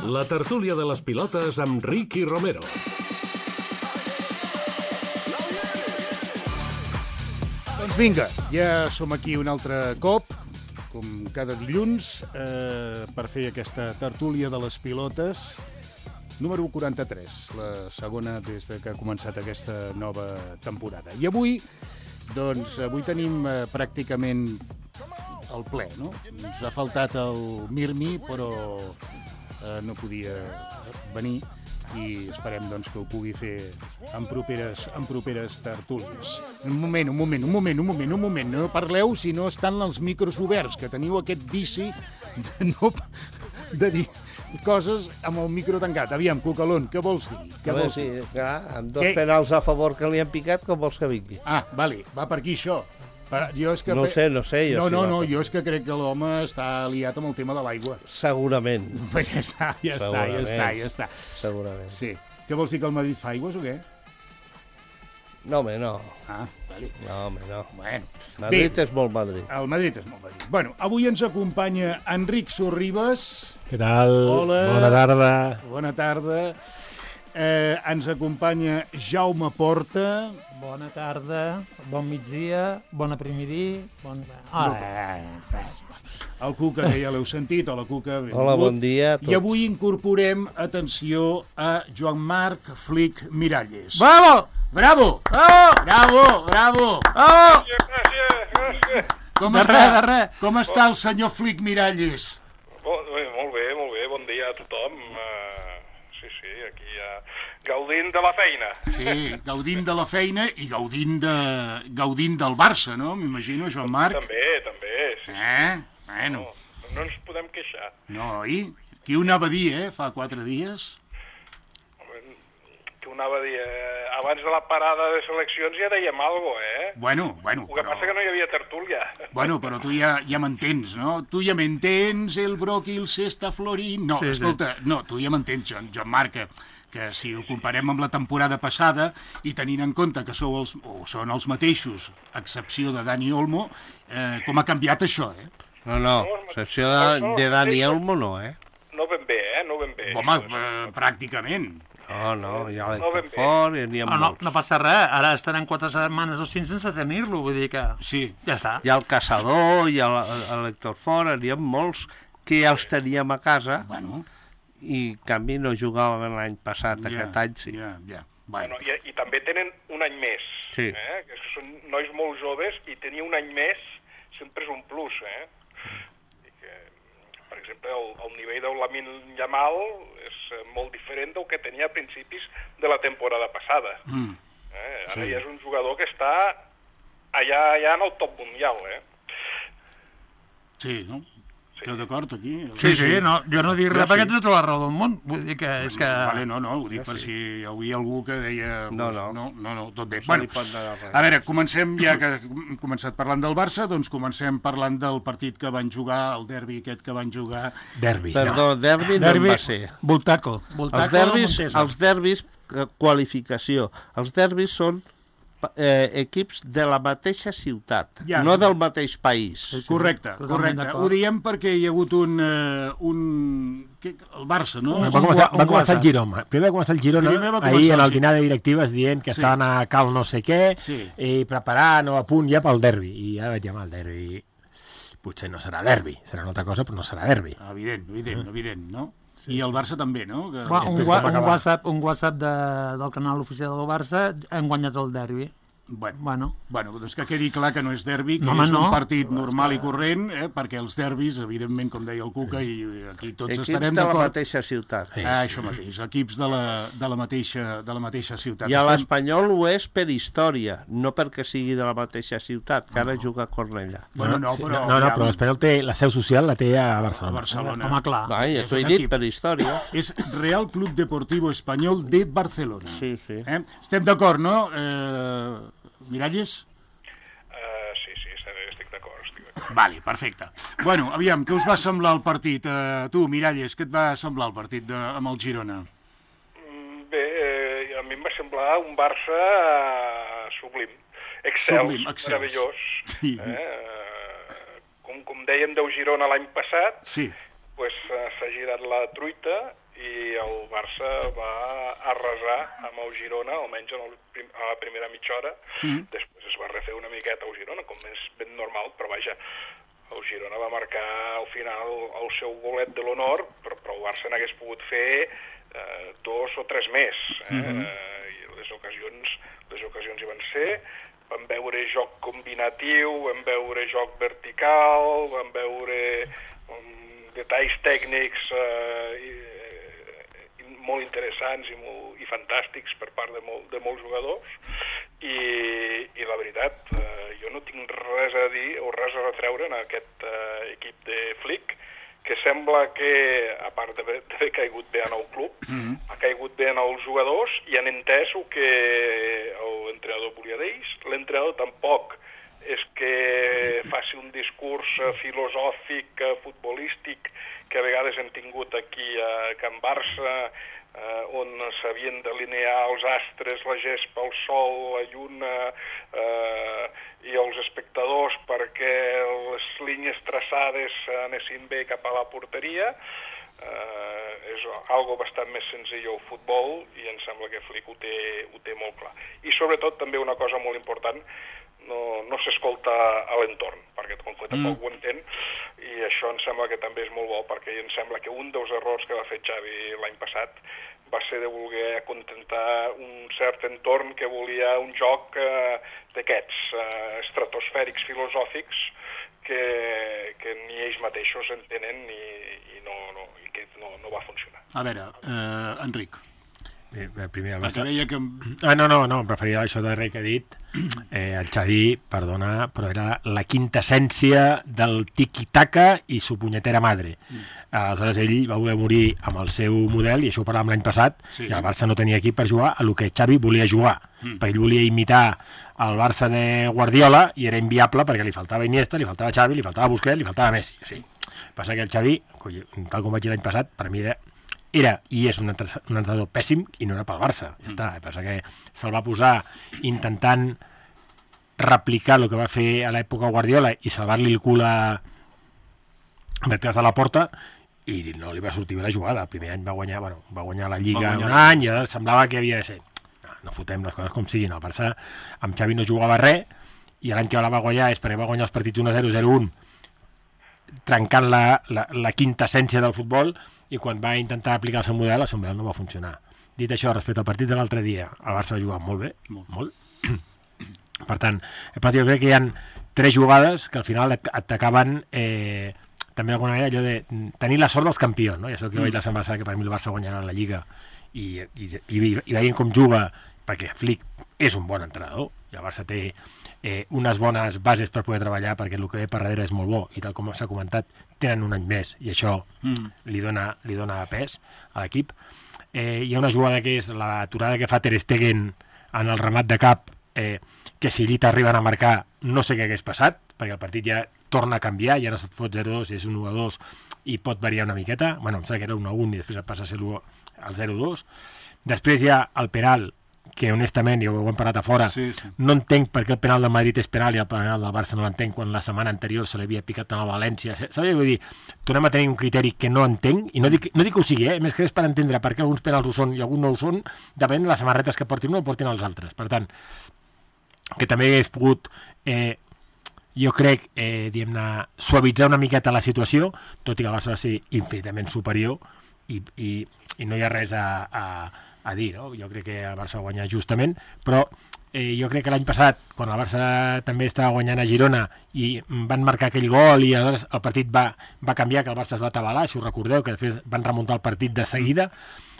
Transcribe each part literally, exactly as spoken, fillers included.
La tertúlia de les pilotes amb Ricky Romero. Doncs vinga, ja som aquí un altre cop, com cada dilluns, eh, per fer aquesta tertúlia de les pilotes número quaranta-tres, la segona des de que ha començat aquesta nova temporada. I avui, doncs, avui tenim eh, pràcticament el ple, no? Ens ha faltat el Mirmi, però eh, no podia venir i esperem doncs, que ho pugui fer en properes, en properes tertúlies. Un moment, un moment, un moment, un moment, un moment. No parleu si no estan els micros oberts, que teniu aquest vici de, no, de dir coses amb el micro tancat. Aviam, Cucalón, què vols dir? Què Home, vols sí, dir? clar, amb dos Què? penals a favor que li han picat, com vols que vingui? Ah, vale, va per aquí això. Per, jo és que... No sé, no sé. Jo No, si no, va no, per- jo és que crec que l'home està liat amb el tema de l'aigua. Segurament, Pues ja està, ja està, ja està, ja està. segurament. Sí. Què vols dir, que el Madrid fa aigües o què? No, home, no. Ah, vale. No, home, no. Bueno. Madrid Bé, és molt Madrid. el Madrid és molt Madrid. Bueno, avui ens acompanya Enric Sorribes. Què tal? Hola. Bona tarda. Bona tarda. Eh, ens acompanya Jaume Porta. Bona tarda, bon migdia, bona primidí, bon... Ah, El Cuca, que ja l'heu sentit. Hola, Cuca. Benvingut. Hola, bon dia a tots. I avui incorporem, atenció, a Joan Marc Flic Miralles. Bravo! Bravo! Bravo! Bravo! Bravo! Bravo! Gràcies, gràcies. Com De està? res, de res. Com està el senyor Flic Miralles? Bon, bé, molt bé, molt bé, bon dia a tothom. Uh, sí, sí, aquí uh, gaudint de la feina. Sí, gaudint de la feina i gaudint, de, gaudint del Barça, no? M'imagino, Joan Marc. També, també, sí. Eh? Bueno, No, no ens podem queixar. no, oi? Qui ho anava a dir, eh? Fa quatre dies. Que ho anava a dir, eh, abans de la parada de seleccions ja dèiem alguna cosa, eh? Bueno, bueno, El que però... passa que no hi havia tertúlia. Bueno, però tu ja, ja m'entens, no? Tu ja m'entens, el bròquil s'està florint... No, Sí, sí. escolta, no, tu ja m'entens, Joan, Joan Marc, que, que si ho comparem amb la temporada passada i tenint en compte que sou els, o són els mateixos, a excepció de Dani Olmo, eh, com ha canviat això, eh? No, no, excepció de, de Dani Olmo no, eh? No ben bé, eh? No ben bé. Home, eh, pràcticament. No, no, hi ha No ben l'Hector bé. Fort i n'hi ha No, no, molts. no passa res, ara estarem quatre setmanes o cinc sense tenir-lo, vull dir que Sí. ja està. Hi ha el Caçador, hi ha l'Hector Fort, n'hi ha molts que ja els teníem a casa Bueno, i, en canvi, no jugaven l'any passat, aquest any sí. Ja, ja. Bueno, Bueno, i, I també tenen un any més. Sí. Eh? Que són nois molt joves i tenir un any més sempre és un plus, eh? I que, per exemple, el, el nivell del Lamine Yamal és eh, molt diferent del que tenia a principis de la temporada passada. mm, Eh? Ara Sí. ja és un jugador que està allà, allà en el top mundial, eh? sí, no? Esteu d'acord aquí? Sí, sí, no, jo no dic Jo res sí. perquè tens tota la raó del món, vull dir que és que... Vale, no, no, ho dic per si hi havia algú que deia... No, pues, no. no, no, no, tot bé. No se Bueno, li pot negar res. a veure, comencem, ja que hem començat parlant del Barça, doncs comencem parlant del partit que van jugar, el derbi aquest que van jugar. Derbi. Perdó, derbi no en va ser. Voltaco. Voltaco Els derbis, Montesa. els derbis, eh, qualificació. Els derbis són eh, equips de la mateixa ciutat, Ja. no del mateix país. Sí, sí. Correcte, Totalment correcte. d'acord. Ho diem perquè hi ha hagut un... eh, un què, el Barça, no? Un Va començar, un va començar el WhatsApp. Girona. Primer va començar el Girona, Primer va començar ahir el en el Girona. dinar de directives dient que Sí. estaven a cal no sé què Sí. i preparant o a punt ja pel derbi. I ja vaig dir, home, el derbi potser no serà derbi, serà una altra cosa, però no serà derbi. Evident, evident, evident, no? I el Barça també, no? Que... Va, un, Després wa com un acabar. WhatsApp, un WhatsApp de, del canal oficial del Barça hem guanyat el derbi. Bueno, Bueno, bueno, doncs que quedi clar que no és derbi, que No, home, és un no. partit normal i corrent, eh, perquè els derbis, evidentment, com deia el Cuca, i aquí tots Equips estarem de la d'acord. mateixa ciutat. Sí. Ah, això mateix, equips de la, de la, mateixa, de la mateixa ciutat. I a Estem- l'Espanyol ho és per història, no perquè sigui de la mateixa ciutat, que ara juga a Cornellà. Bueno, no, Sí, però... no, no, ja- però l'Espanyol té la seu social, la té a a Barcelona. Barcelona. home, clar. Va, ja és t'ho he un dit, equip. per història. És Real Club Deportivo Espanyol de Barcelona. Sí, sí. Eh? Estem d'acord, no, eh, Miralles? Uh, sí, sí, estic d'acord, estic d'acord. Vale, perfecte. Bueno, aviam, què us va semblar el partit? Eh, tu, Miralles, què et va semblar el partit de, amb el Girona? Mm, Bé, eh, a mi em va semblar un Barça eh, sublim, excels, Sublim, excels. meravellós. Sí. Eh? Com, com dèiem del Girona l'any passat, Sí, pues, eh, s'ha girat la truita i el Barça va arrasar amb el Girona, almenys en el prim, a la primera mitja hora. Mm. Després es va refer una miqueta al Girona, com és ben normal, però vaja, el Girona va marcar al final el seu golet de l'honor, però, però el Barça n'hagués pogut fer eh, dos o tres més. Eh? Mm-hmm. eh, I les ocasions, les ocasions hi van ser. Vam veure joc combinatiu, vam veure joc vertical, vam veure um, detalls tècnics eh, i, i molt interessants i, molt, i fantàstics per part de, molt, de molts jugadors. I, i la veritat, eh, jo no tinc res a dir o res a retreure en aquest eh, equip de Flick, que sembla que, a part d'haver caigut bé en el club, mm-hmm. ha caigut bé en els jugadors i han entès el que l'entrenador volia d'ells. L'entrenador tampoc és que faci un discurs filosòfic, futbolístic, que a vegades hem tingut aquí a Can Barça, eh, on s'havien d'alinear els astres, la gespa, el sol, la lluna eh, i els espectadors perquè les línies traçades anessin bé cap a la porteria. Eh, és algo bastant més senzill el futbol i em sembla que Flick ho té, ho té molt clar. I sobretot també una cosa molt important, no, no s'escolta a l'entorn, perquè com que tampoc mm. ho entén, i això em sembla que també és molt bo, perquè em sembla que un dels errors que va fer Xavi l'any passat va ser de voler acontentar un cert entorn que volia un joc eh, d'aquests eh, estratosfèrics filosòfics que, que ni ells mateixos entenen i, i, no, no, i que no, no va funcionar. A veure, eh, Enric. Bé, primer el Barça... Deia que... Ah, no, no, no, em referia a això darrer que he dit. Eh, el Xavi, perdona, però era la quintessència del tiki-taka i su punyetera madre. Mm. Aleshores, ell va voler morir amb el seu model, i això ho parlàvem l'any passat, sí. I el Barça no tenia equip per jugar a el que Xavi volia jugar. Mm. Perquè ell volia imitar el Barça de Guardiola i era inviable perquè li faltava Iniesta, li faltava Xavi, li faltava Busquets, li faltava Messi. O sigui, passa que el Xavi, tal com vaig dir l'any passat, per mi era... Era i és un entrenador pèssim i no era pel Barça, ja està. El que passa que se'l va posar intentant replicar el que va fer a l'època Guardiola i salvar-li el cul a detrás de la porta i no li va sortir bé la jugada. El primer any va guanyar, bueno, va guanyar la Lliga guanyar. un any i ara semblava que havia de ser. No, no fotem les coses com siguin. El Barça amb Xavi no jugava res i l'any que la va guanyar és perquè va guanyar els partits un a zero, zero a un, trencant la, la, la quintessència del futbol, i quan va intentar aplicar el seu model, el seu model no va funcionar. Dit això, respecte al partit de l'altre dia, el Barça va jugar molt bé, molt. molt. Per tant, jo crec que hi ha tres jugades que al final et, et acaben eh, també d'alguna manera allò de tenir la sort dels campions, no? I això que mm. vaig la setmana passada, que per mi el Barça guanyarà la Lliga i, i, i, i veient com juga, perquè Flick és un bon entrenador i el Barça té eh, unes bones bases per poder treballar perquè el que ve per darrere és molt bo i tal com s'ha comentat, tenen un any més i això mm. li, dona, li dona pes a l'equip. Eh, hi ha una jugada que és l'aturada que fa Ter Stegen en el remat de cap, eh, que si allí t'arriben a marcar no sé què hagués passat, perquè el partit ja torna a canviar, ja no se't fot zero a dos, és un u a dos i pot variar una miqueta. Bueno, em sembla que era un a un i després passa a ser el zero a dos. Després hi ha el penal, que honestament, ja ho hem parlat a fora, sí, sí. No entenc per què el penal del Madrid és penal i el penal del Barça no l'entenc quan la setmana anterior se l'havia picat en el València. Sabeu? Vull dir, tornem a tenir un criteri que no entenc, i no dic, no dic que ho sigui, eh? Més que és per entendre per què alguns penals ho són i alguns no ho són, depèn de les samarretes que portin un o portin els altres. Per tant, que també hagués pogut, eh, jo crec, eh, diguem-ne, suavitzar una miqueta la situació, tot i que el Barça va ser infinitament superior i, i, i no hi ha res a... a a dir, no? Jo crec que el Barça va guanyar justament, però eh, jo crec que l'any passat, quan el Barça també estava guanyant a Girona i van marcar aquell gol i aleshores el partit va, va canviar, que el Barça es va atabalar, si us recordeu, que després van remuntar el partit de seguida.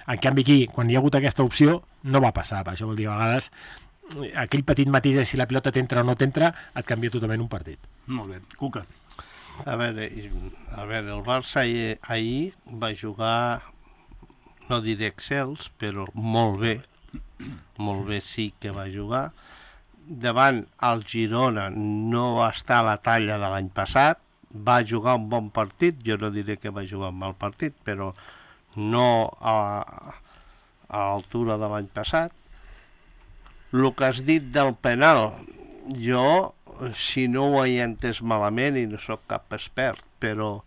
En canvi aquí, quan hi ha hagut aquesta opció, no va passar. Això vol dir, a vegades, aquell petit matís de si la pilota t'entra o no t'entra, et canvia totalment un partit. Molt bé. Cuca. A veure, a veure el Barça ahir, ahir va jugar... no diré excels, però molt bé, molt bé sí que va jugar. Davant el Girona no va estar a la talla de l'any passat, va jugar un bon partit, jo no diré que va jugar un mal partit, però no a, a l'altura de l'any passat. El que has dit del penal, jo, si no ho he entès malament, i no sóc cap expert, però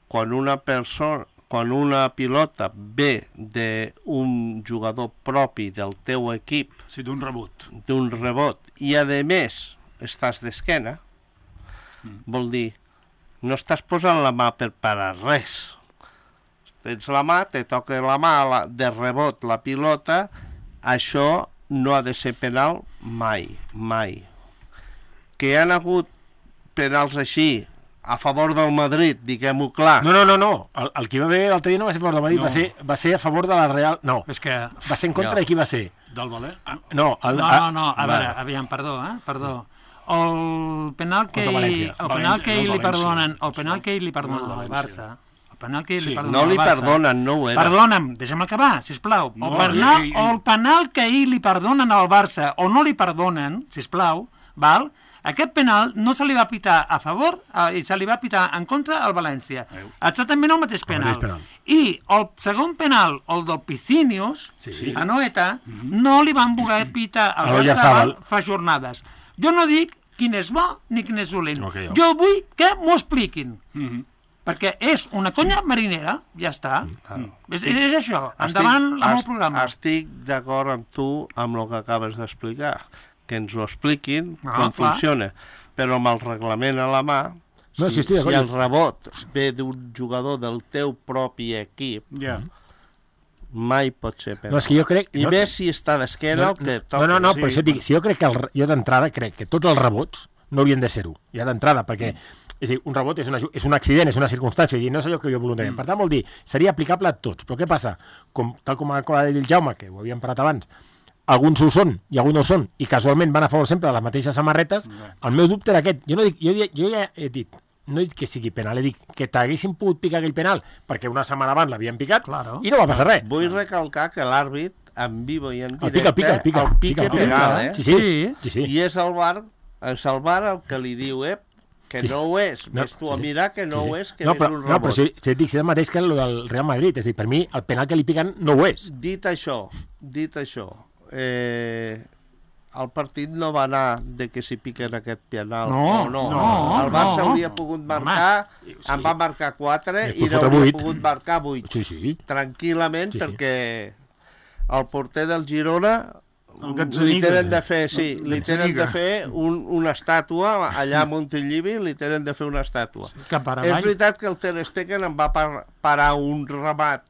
quan una persona quan una pilota ve d'un jugador propi del teu equip, sí, d'un rebot, d'un rebot, i a més estàs d'esquena, mm. vol dir, no estàs posant la mà per parar res. Tens la mà, te toca la mà la, de rebot la pilota, això no ha de ser penal mai, mai. Que hi ha hagut penals així, a favor del Madrid, diguem-ho clar. No, no, no, no. El, el que va haver l'altre dia no va ser a favor del Madrid, no. va, ser, va ser a favor de la Real... No, és que... va ser en contra no. de qui va ser? Del Valer? No, el, no, no, no, a va. veure, aviam, perdó, eh? Perdó. El penal que, Contra València. el penal que València, ell li no, perdonen, València. el penal que ell li No, perdonen al València. Barça, el penal que ell Sí, li perdonen No al li Barça... perdonen, no ho era. Perdona'm, deixa'm acabar, sisplau. El, No, penal, i- i- el penal que ahir li perdonen al Barça o no li perdonen, sisplau, val? Aquest penal no se li va pitar a favor eh, i se li va pitar en contra al València. Veus? Exactament el mateix penal. mateix penal. I el segon penal, el del Piscinius, Sí. a Noeta, no li van voler pitar al A Oyarzabal Oyarzabal. fa jornades. Jo no dic quin és bo ni quin és dolent. Ok, ok. Jo vull que m'ho expliquin. Mhm. Perquè és una conya marinera, ja està. Mm. És, és això, endavant Estic- amb el est- programa. Estic d'acord amb tu amb el que acabes d'explicar, que ens ho expliquin Ah, com clar. funciona, però amb el reglament a la mà, No, si, sí, estic si d'acord. el rebot ve d'un jugador del teu propi equip, Ja. mai pot ser penal. No, és que jo crec... I no, més si està d'esquena el que toca. No, no, no, sí. per això et dic, si jo crec que el, jo d'entrada crec que tots els rebots no haurien de ser-ho, ja d'entrada, perquè és a dir, un rebot és, una, és un accident, és una circumstància, i no és allò que jo voluntàriament. Per tant, vol dir, seria aplicable a tots. Però què passa? Com, tal com ha dit el Jaume, que ho havíem parlat abans, alguns ho són i alguns no ho són, i casualment van a favor sempre de les mateixes samarretes, el meu dubte era aquest. Jo, no dic, jo, jo ja he dit, no he dit que sigui penal, he dit que t'haguessin pogut picar aquell penal perquè una setmana abans l'havien picat Claro. i no va passar res. Vull recalcar que l'àrbit, en vivo i en El directe, pica, el pica, el pica. el pica el pica, penal, el eh? pica. Sí, sí, sí, sí. I és el bar, és el bar el que li diu, eh, que Sí. no ho és. No, Ves tu a sí. mirar que no Sí. ho és, que no, és però, un no, rebot. però si, si et dic, si és el mateix que el del Real Madrid, és a dir, per mi el penal que li piquen no ho és. Dit això, dit això, eh, el partit no va anar de que si piquen aquest penal No, o no. no, el Barça no. hauria pogut marcar, sí. en va marcar quatre I i després fotre n'hauria vuit. pogut marcar vuit. Sí, sí. Tranquil·lament, Sí, sí. perquè el porter del Girona El li Gazzaniga. tenen de fer, sí, El li tenen de Gazzaniga. fer un, una estàtua allà a Montilivi, li tenen de fer una estàtua. Cap ara És avall. veritat que el Ter Stegen em va par parar un remat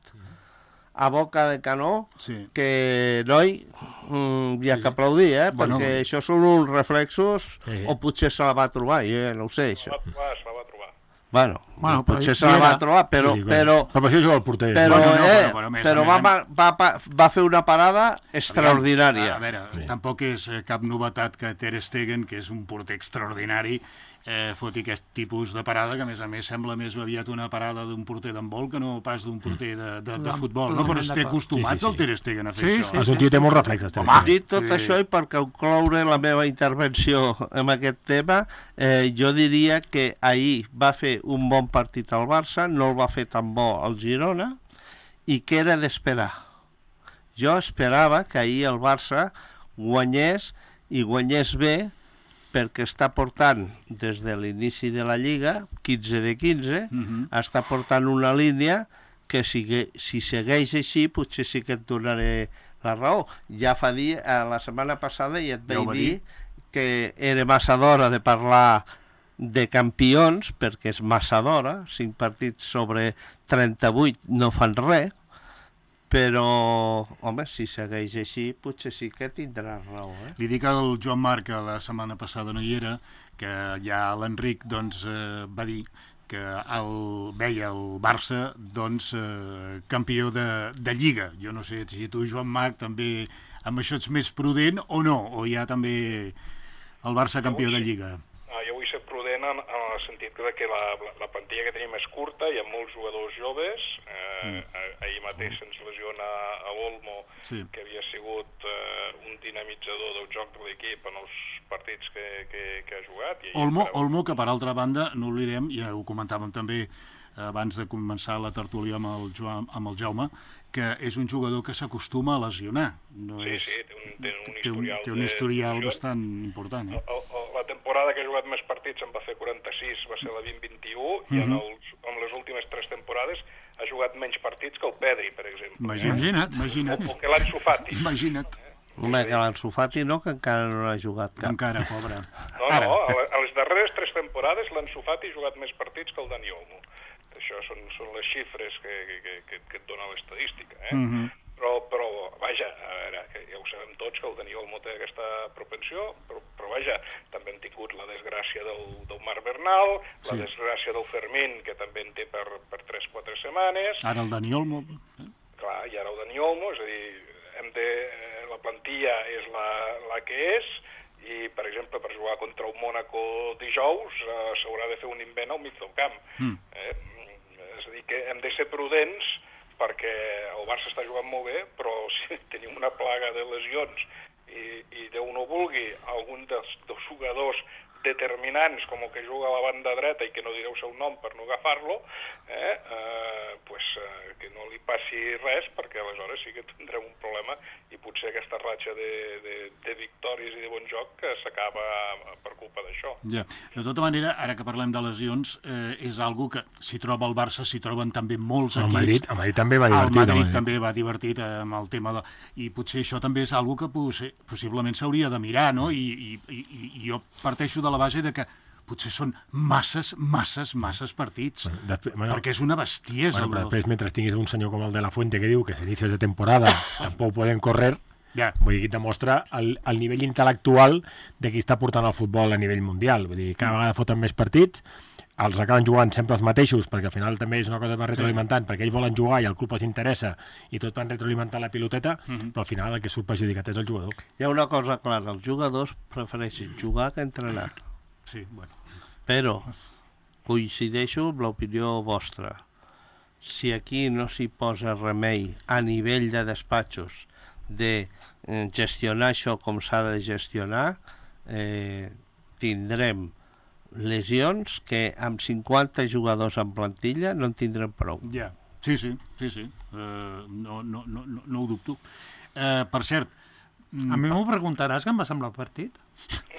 a boca de canó Sí. que, noi, mm, hi ha que aplaudir, eh? Bueno. Perquè això són uns reflexos, Sí. o potser se la va trobar, jo ja no ho sé, Se això. la va trobar, se la va trobar. Bueno, Bueno, però potser hi se la era. va trobar, però, Sí, sí, però, però per això juga el porter. però, Bueno, no, eh, però- però a més, però a va, més- va, va, va, va fer una parada extraordinària. A veure, Sí. tampoc és eh, cap novetat que Ter Stegen, que és un porter extraordinari, eh, foti aquest tipus de parada, que a més a més sembla més aviat una parada d'un porter d'handbol que no pas d'un porter de, de, de Total- futbol, no? Però totalment estem d'acord. acostumats Sí, sí, al sí. Ter Stegen a fer Sí, això. sí, És un tio que té molts reflexes. Ter Home. Stegen. Dit tot Sí. això i per concloure la meva intervenció en aquest tema, eh, jo diria que ahir va fer un bon partit al Barça, no el va fer tan bo al Girona, i que era d'esperar. Jo esperava que ahir el Barça guanyés i guanyés bé, perquè està portant des de l'inici de la Lliga, quinze de quinze, Mhm. està portant una línia que si, si segueix així potser sí que et donaré la raó. Ja fa dir, eh, la setmana passada ja et Ja ho vaig va dir dir. que era massa d'hora de parlar de campions, perquè és massa d'hora, cinc partits sobre trenta-vuit no fan res, però, home, si segueix així, potser sí que tindràs raó, eh? Li dic al Joan Marc, que la setmana passada no hi era, que ja l'Enric doncs, eh, va dir que el, veia el Barça doncs, eh, campió de, de Lliga. Jo no sé si tu, Joan Marc, també amb això ets més prudent o no, o hi ha també el Barça campió de Lliga. Ah, jo vull ser prudent en, en el sentit de que la, la, la plantilla que tenim és curta, hi ha molts jugadors joves, eh, mm. ahir mateix se'ns lesiona a Olmo, Sí. que havia sigut eh, un dinamitzador del joc de l'equip en els partits que, que, que ha jugat. I Olmo, farà- Olmo, que per altra banda, no oblidem, ja ho comentàvem també abans de començar la tertúlia amb el, Joan, amb el Jaume, que és un jugador que s'acostuma a lesionar. No Sí, és, sí, té un, té un té un, historial, té un de historial lesions. bastant important. Eh? El, el, la temporada que ha jugat més partits en va fer quaranta-sis, va ser la vint vint-vint-un, i en, Mhm. els, en les últimes tres temporades ha jugat menys partits que el Pedri, per exemple. Imagina't. Imagina't. O, o que l'Ansu Fati. Imagina't. Home, que l'Ansu Fati no, que encara no ha jugat cap. Encara, pobre. No, Ara. no, a, a les darreres tres temporades l'Ansu Fati ha jugat més partits que el Dani Olmo. Això són, són les xifres que, que, que, que et dona l'estadística, eh? Mm -hmm. Però, però, vaja, a veure, que ja ho sabem tots, que el Dani Olmo té aquesta propensió, però, però vaja, també hem tingut la desgràcia del, del Marc Bernal, la Sí. desgràcia del Fermín, que també en té per, per tres o quatre setmanes, Ara el Dani Olmo... clar, i ara el Dani Olmo, és a dir, hem de, eh, la plantilla és la, la que és, i, per exemple, per jugar contra el Mónaco dijous eh, s'haurà de fer un invent al mig del camp. Mm. Eh? És a dir, que hem de ser prudents perquè el Barça està jugant molt bé, però si tenim una plaga de lesions i, i Déu no vulgui, algun dels, dels jugadors determinants, com el que juga a la banda dreta i que no direu el seu nom per no agafar-lo, eh, eh, pues, eh, que no li passi res, perquè aleshores sí que tindrem un problema i potser aquesta ratxa de, de, de victòries i de bon joc que s'acaba per culpa d'això. Ja. De tota manera, ara que parlem de lesions, eh, és algo que s'hi troba el Barça, s'hi troben també molts El equips. Madrid, el Madrid també va El divertit. Madrid home. també va divertit eh, amb el tema de... I potser això també és algo que possi- possiblement s'hauria de mirar, no? I, i, i, i jo parteixo de la base de que potser són masses, masses, masses partits. Bueno, després- bueno, perquè és una bestiesa. Bueno, però el- després, mentre tinguis un senyor com el de la Fuente que diu que a inicios de temporada tampoc poden correr, Ja. vull dir, que demostra el, el nivell intel·lectual de qui està portant el futbol a nivell mundial. Vull dir, cada vegada foten més partits, els acaben jugant sempre els mateixos, perquè al final també és una cosa que va retroalimentant, perquè ells volen jugar i el club els interessa i tot van retroalimentar la piloteta, però al final el que surt perjudicat és el jugador. Hi ha una cosa clara, els jugadors prefereixen jugar que entrenar. Sí, bueno. Però coincideixo amb l'opinió vostra. Si aquí no s'hi posa remei a nivell de despatxos de eh, gestionar això com s'ha de gestionar, eh, tindrem lesions que amb cinquanta jugadors en plantilla no en tindrem prou. Ja, sí, sí, sí, sí. Uh, no, no, no, no, no ho dubto. Uh, per cert... A mi m'ho preguntaràs què em va semblar el partit?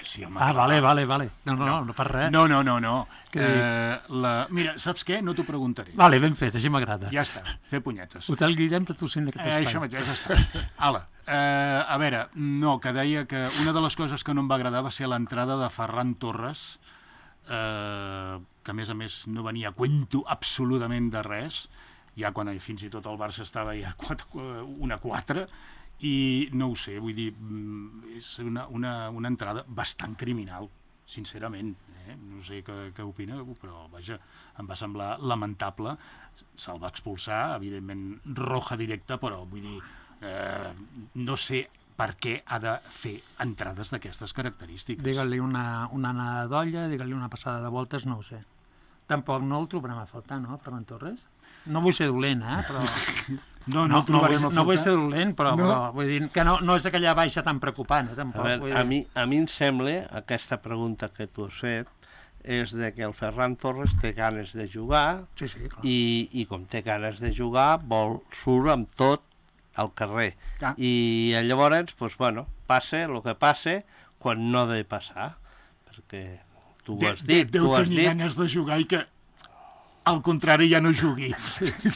Sí, home, Ah, clar. vale, vale, vale. No, no, no, no per res. No, no, no, no. Què Uh, la... Mira, saps què? No t'ho preguntaré. Vale, ben fet, així m'agrada. Ja està, fer punyetes. Hotel Guillem patrocina aquest Eh, espai. això mateix, ja està. Ala, uh, a veure, no, que deia que una de les coses que no em va agradar va ser l'entrada de Ferran Torres, uh, que a més a més no venia a cuento absolutament de res, ja quan fins i tot el Barça estava ja una quatre, i no ho sé, vull dir, mm, és una, una, una entrada bastant criminal, sincerament. Eh? No sé què, què opina, però vaja, em va semblar lamentable. Se'l va expulsar, evidentment roja directa, però vull dir, eh, no sé per què ha de fer entrades d'aquestes característiques. Digue-li una, una anada d'olla, digue-li una passada de voltes, no ho sé. Tampoc no el trobarem a faltar, no, Ferran Torres? No vull ser dolent, eh, però... No, no, No, el no, trobarem vull, a no vull faltar. ser dolent, però, No. però vull dir que no, no és aquella baixa tan preocupant, eh, A, tampoc. veure, vull dir... a, mi, a mi em sembla, aquesta pregunta que tu has fet, és de que el Ferran Torres té ganes de jugar Sí, sí, clar. i, i com té ganes de jugar, vol surt amb tot al carrer. Ah. I llavors, doncs, bueno, passa el que passa quan no ha de passar, perquè tu ho De- has dit, de- tu Deu has tenir dit... ganes de jugar i que, al contrari, ja no jugui.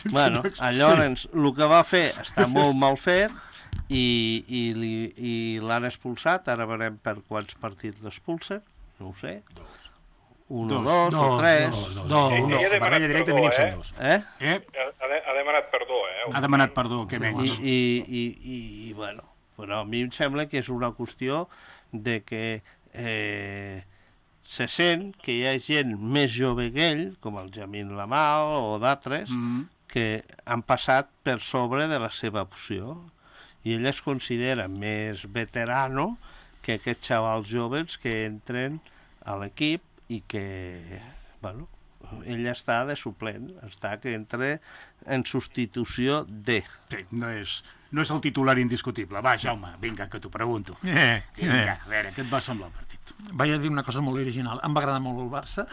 Bueno, llavors, el que va fer està molt mal fet i, i, li- i l'han expulsat, ara veurem per quants partits l'expulsen, no ho sé. Un o Dos. dos, o Dos, tres. dos. Dos, No, eh, no. no, Ella ha barrella demanat directa perdó, mínim són eh? dos. Eh? Eh? Ha, de, ha demanat perdó, eh? Ha demanat perdó, que I, menys. i, i, i, i bueno, però a mi em sembla que és una qüestió de que eh, se sent que hi ha gent més jove que ell, com el Jamin Lamal o d'altres, Mm. que han passat per sobre de la seva opció i ell es considera més veterano que aquests xavals joves que entren a l'equip i que, bueno, ell està de suplent, està que entra en substitució de... Sí, no és, no és el titular indiscutible. Va, Jaume, vinga, que t'ho pregunto. Eh, Vinga, eh. a veure, què et va semblar el partit? Vaig a dir una cosa molt original. Em va agradar molt el Barça.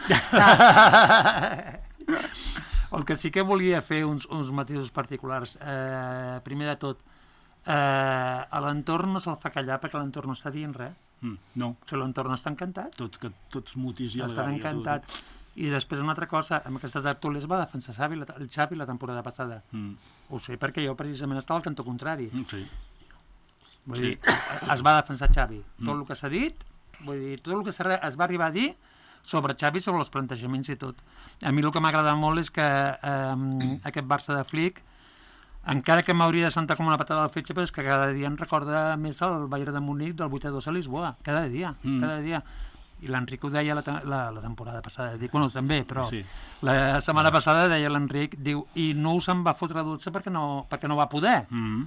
El que sí que volia fer uns, uns matisos particulars. Eh, primer de tot, eh, a l'entorn no se'l fa callar perquè l'entorn no està dient res. Mm, no, O sigui, l'entorn està encantat. tot, que tots mutis i Estan encantat. I després una altra cosa, amb aquesta tertúlia es va defensar Xavi, la, el Xavi la temporada passada. Mm. Ho sé perquè jo precisament estava al cantó contrari. Mm, sí. Vull dir, es va defensar Xavi. Tot el que s'ha dit, vull dir, tot el que es va arribar a dir sobre Xavi, sobre els plantejaments i tot. A mi el que m'agrada molt és que eh, aquest Barça de Flick, encara que m'hauria de sentar com una patada al fetge, però és que cada dia em recorda més el Bayern de Múnich del vuit a dos a Lisboa. Cada dia, mm. cada dia. I l'Enric ho deia la, la, la temporada passada. Dic, bueno, també, però sí. La setmana passada deia l'Enric, diu, i no se'n va fotre dotze perquè no, perquè no va poder. Mm.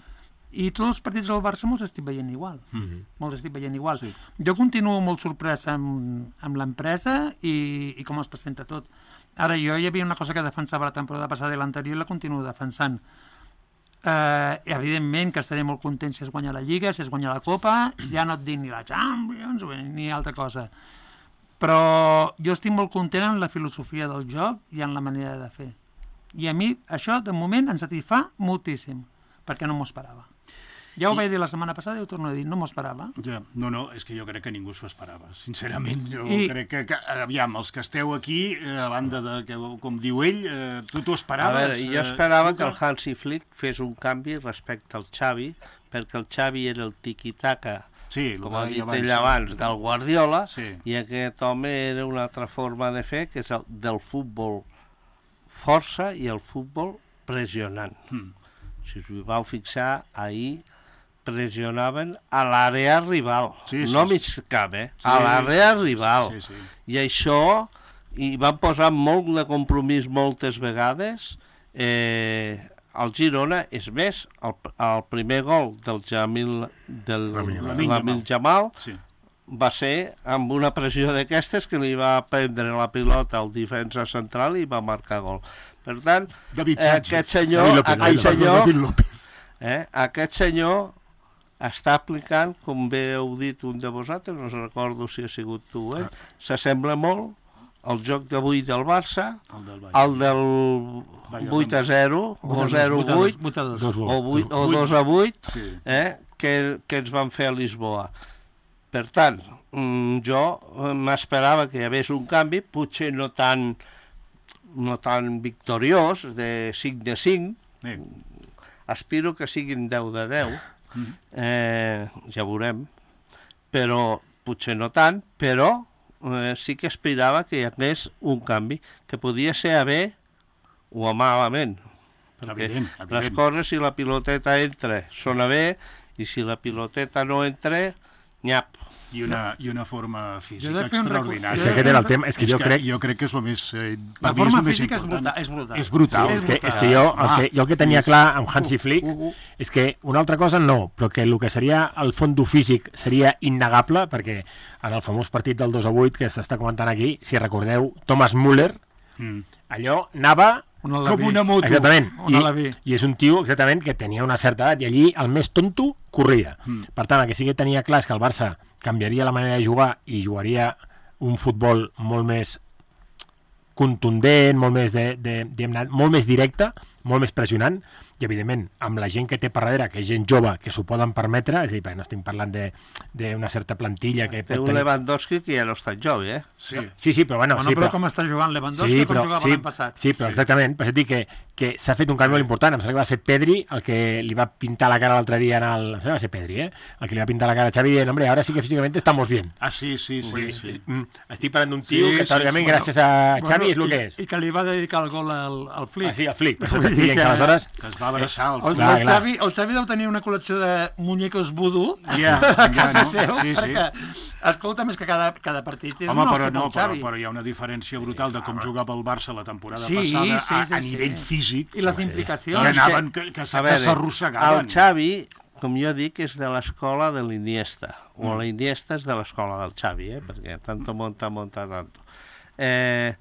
I tots els partits del Barça molts estic veient igual. Mm. Molts estic veient igual. Sí. Jo continuo molt sorprès amb, amb l'empresa i, i com es presenta tot. Ara, jo hi havia una cosa que defensava la temporada passada i l'anterior i la continuo defensant. Uh, evidentment que estaré molt content si es guanya la Lliga, si es guanya la Copa, ja no et dic ni la Champions ni altra cosa, però jo estic molt content en la filosofia del joc i en la manera de fer, i a mi això de moment em satisfà moltíssim perquè no m'ho esperava. Ja ho I... vaig dir la setmana passada i ho torno a dir, no m'ho esperava. Ja, no, no, és que jo crec que ningú s'ho esperava, sincerament. Jo I... crec que, que, aviam, els que esteu aquí, a banda de, que, com diu ell, eh, tu t'ho esperaves? A veure, jo esperava eh, que el Hansi Flick fes un canvi respecte al Xavi, perquè el Xavi era el tiki-taka, sí, com ha dit abans, ell abans, del Guardiola, sí. I aquest home era una altra forma de fer, que és el del futbol força i el futbol pressionant. Hmm. Si us vau fixar, ahir pressionaven a l'àrea rival, sí, sí, no mig camp, eh? Sí, a l'àrea sí, rival. Sí, sí. I això, i van posar molt de compromís moltes vegades. Eh, el Girona, és més, el, el primer gol del Jamil, del Lamine Yamal, sí. Va ser amb una pressió d'aquestes que li va prendre la pilota al defensa central i va marcar gol. Per tant, eh, aquest senyor, aquest senyor, eh, aquest senyor està aplicant, com bé heu dit un de vosaltres, no recordo si ha sigut tu, eh? S'assembla molt al joc d'avui del Barça, el del, el del vuit a zero, o zero a vuit, o dos a vuit, eh? que, que ens van fer a Lisboa. Per tant, jo m'esperava que hi hagués un canvi, potser no tan, no tan victoriós, de cinc de cinc, aspiro que siguin deu de deu, eh, ja veurem, però potser no tant, però eh, sí que aspirava que hi hagués un canvi, que podia ser a bé o a malament, perquè evident, evident. Les coses, si la piloteta entra, són a bé, i si la piloteta no entra, nyap. I una, i una forma física extraordinària. És que aquest era el tema. És que és jo que crec... Jo crec que és el més... Eh, la forma física és brutal. És brutal. És brutal. Sí, és, que, és que jo el que, jo el que tenia clar amb Hansi Flick uh, uh, uh. és que una altra cosa no, però que el que seria el fondo físic seria innegable, perquè en el famós partit del dos a vuit que s'està comentant aquí, si recordeu, Thomas Müller, mm. allò anava... Una com una moto. Exactament. I, I és un tio, exactament, que tenia una certa edat i allí el més tonto corria. Mm. Per tant, el que sí que tenia clar és que el Barça canviaria la manera de jugar i jugaria un futbol molt més contundent, molt més, de, de, de, molt més directe, molt més pressionant, i evidentment amb la gent que té per darrere, que és gent jove, que s'ho poden permetre, és a dir, perquè no estem parlant d'una certa plantilla que... Té un tenir... Lewandowski que ja no està jove, eh? Sí, sí, sí però bueno... bueno sí, però, però com està jugant Lewandowski, sí, però, com jugava sí, l'any passat. Sí, però exactament, per això dic que, que s'ha fet un canvi molt important, em sembla que va ser Pedri el que li va pintar la cara l'altre dia en el... Em sembla que va ser Pedri, eh? El que li va pintar la cara a Xavi dient, hombre, ahora sí que físicamente estamos bien. Ah, sí, sí, sí. sí, sí. sí. Estic parlant d'un tio sí, que, teòricament, sí, gràcies a Xavi, és el que és. I que li va dedicar el gol al, al Flick. Ah, sí, al Flick, per això t'estic dient que aleshores... Que es va abraçar al Flick. El, el, Xavi, el Xavi deu tenir una col·lecció de muñecos vudú yeah, a casa no? seu, sí, perquè, sí. escolta, més que cada, cada partit és Home, un però, hoste no, pel Xavi. Però, però hi ha una diferència brutal de com jugava el Barça la temporada sí, passada sí, a, sí, a nivell sí. físic. I les implicacions. Que anaven, que, que, que s'arrossegaven. El Xavi, com jo dic, és de l'escola de l'Iniesta, o mm. l'Iniesta és de l'escola del Xavi, eh? Perquè tanto monta, monta tanto. Eh...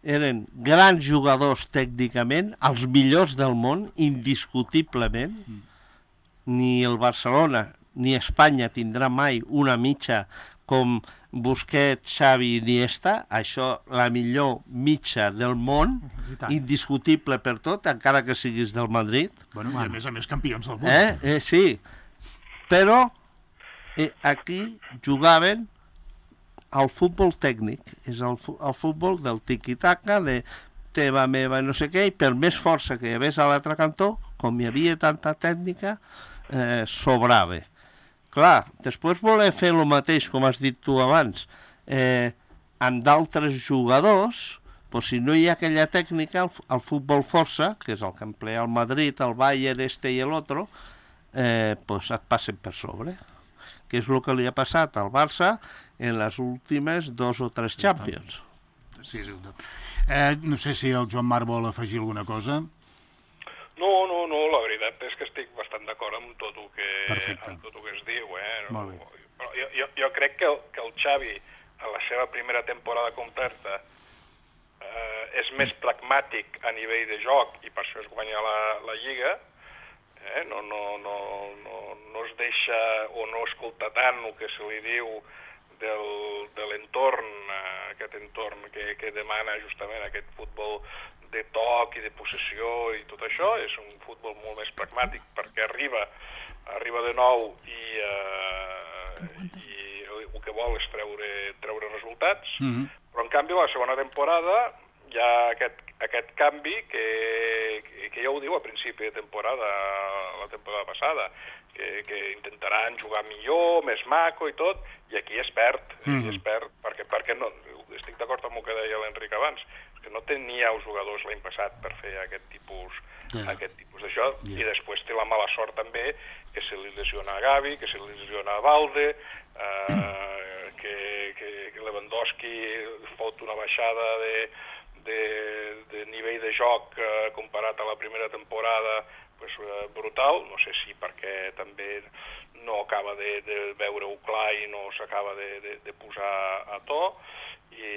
eren grans jugadors tècnicament, els millors del món, indiscutiblement. Mm. Ni el Barcelona ni Espanya tindrà mai una mitja com Busquets, Xavi i Iniesta. Això, la millor mitja del món, indiscutible per tot, encara que siguis del Madrid. Bueno, i a més a més campions del món. Eh? Eh, sí, però eh, aquí jugaven el futbol tècnic, és el, el futbol del tiqui-taca, de teva, meva, no sé què, i per més força que hi hagués a l'altre cantó, com hi havia tanta tècnica, eh, sobrava. Clar, després voler fer el mateix, com has dit tu abans, eh, amb d'altres jugadors, pues si no hi ha aquella tècnica, el, el futbol força, que és el que emplea el Madrid, el Bayern, este i l'altre, eh, pues et passen per sobre. Que és el que li ha passat al Barça en les últimes dos o tres Champions. Sí, sí. Eh, no sé si el Joan Marc vol afegir alguna cosa. No, no, no, la veritat és que estic bastant d'acord amb tot el que, amb tot el que es diu. Eh? Molt bé. Però jo, jo, jo crec que el, que el Xavi, en la seva primera temporada completa, eh, és més pragmàtic a nivell de joc i per això es guanya la, la Lliga. Eh? No, no, no, no, no es deixa o no escolta tant el que se li diu del, de l'entorn, eh, aquest entorn que, que demana justament aquest futbol de toc i de possessió i tot això. És un futbol molt més pragmàtic perquè arriba, arriba de nou i, eh, i el que vol és treure, treure resultats, mm-hmm. però en canvi la segona temporada hi ha aquest, aquest canvi que, que, que ja ho diu a principi de temporada, la temporada passada, que, que intentaran jugar millor, més maco i tot, i aquí es perd, mm-hmm. i es perd perquè, perquè no, estic d'acord amb el que deia l'Enric abans, que no tenia els jugadors l'any passat per fer aquest tipus, yeah. aquest tipus d'això, yeah. i després té la mala sort també que se li lesiona a Gavi, que se li lesiona a Valde, eh, que, que, que Lewandowski fot una baixada de, de, de nivell de joc eh, comparat a la primera temporada pues, eh, brutal, no sé si perquè també no acaba de, de veure-ho clar i no s'acaba de, de, de posar a to, i,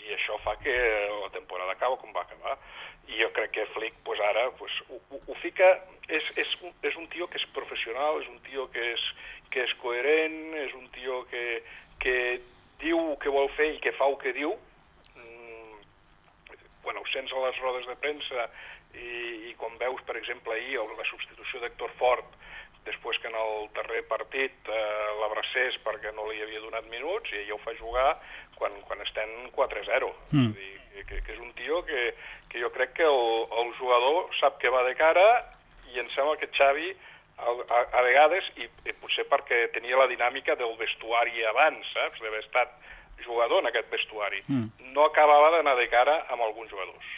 i això fa que la temporada acaba com va acabar. I jo crec que Flick pues, ara pues, ho, ho, ho fica... És, és, un, és un tio que és professional, és un tio que és, que és coherent, és un tio que, que diu el que vol fer i que fa el que diu. Mm, quan ho sents a les rodes de premsa i, i quan veus, per exemple, ahir la substitució d'Héctor Fort, després que en el darrer partit eh, l'abracés perquè no li havia donat minuts, i ella ho fa jugar quan, quan estem quatre a zero. Mm. És a dir, que, que és un tio que, que jo crec que el, el jugador sap que va de cara, i em sembla que Xavi a, a, a vegades, i, i potser perquè tenia la dinàmica del vestuari abans, saps, d'haver estat jugador en aquest vestuari, mm. no acabava d'anar de cara amb alguns jugadors.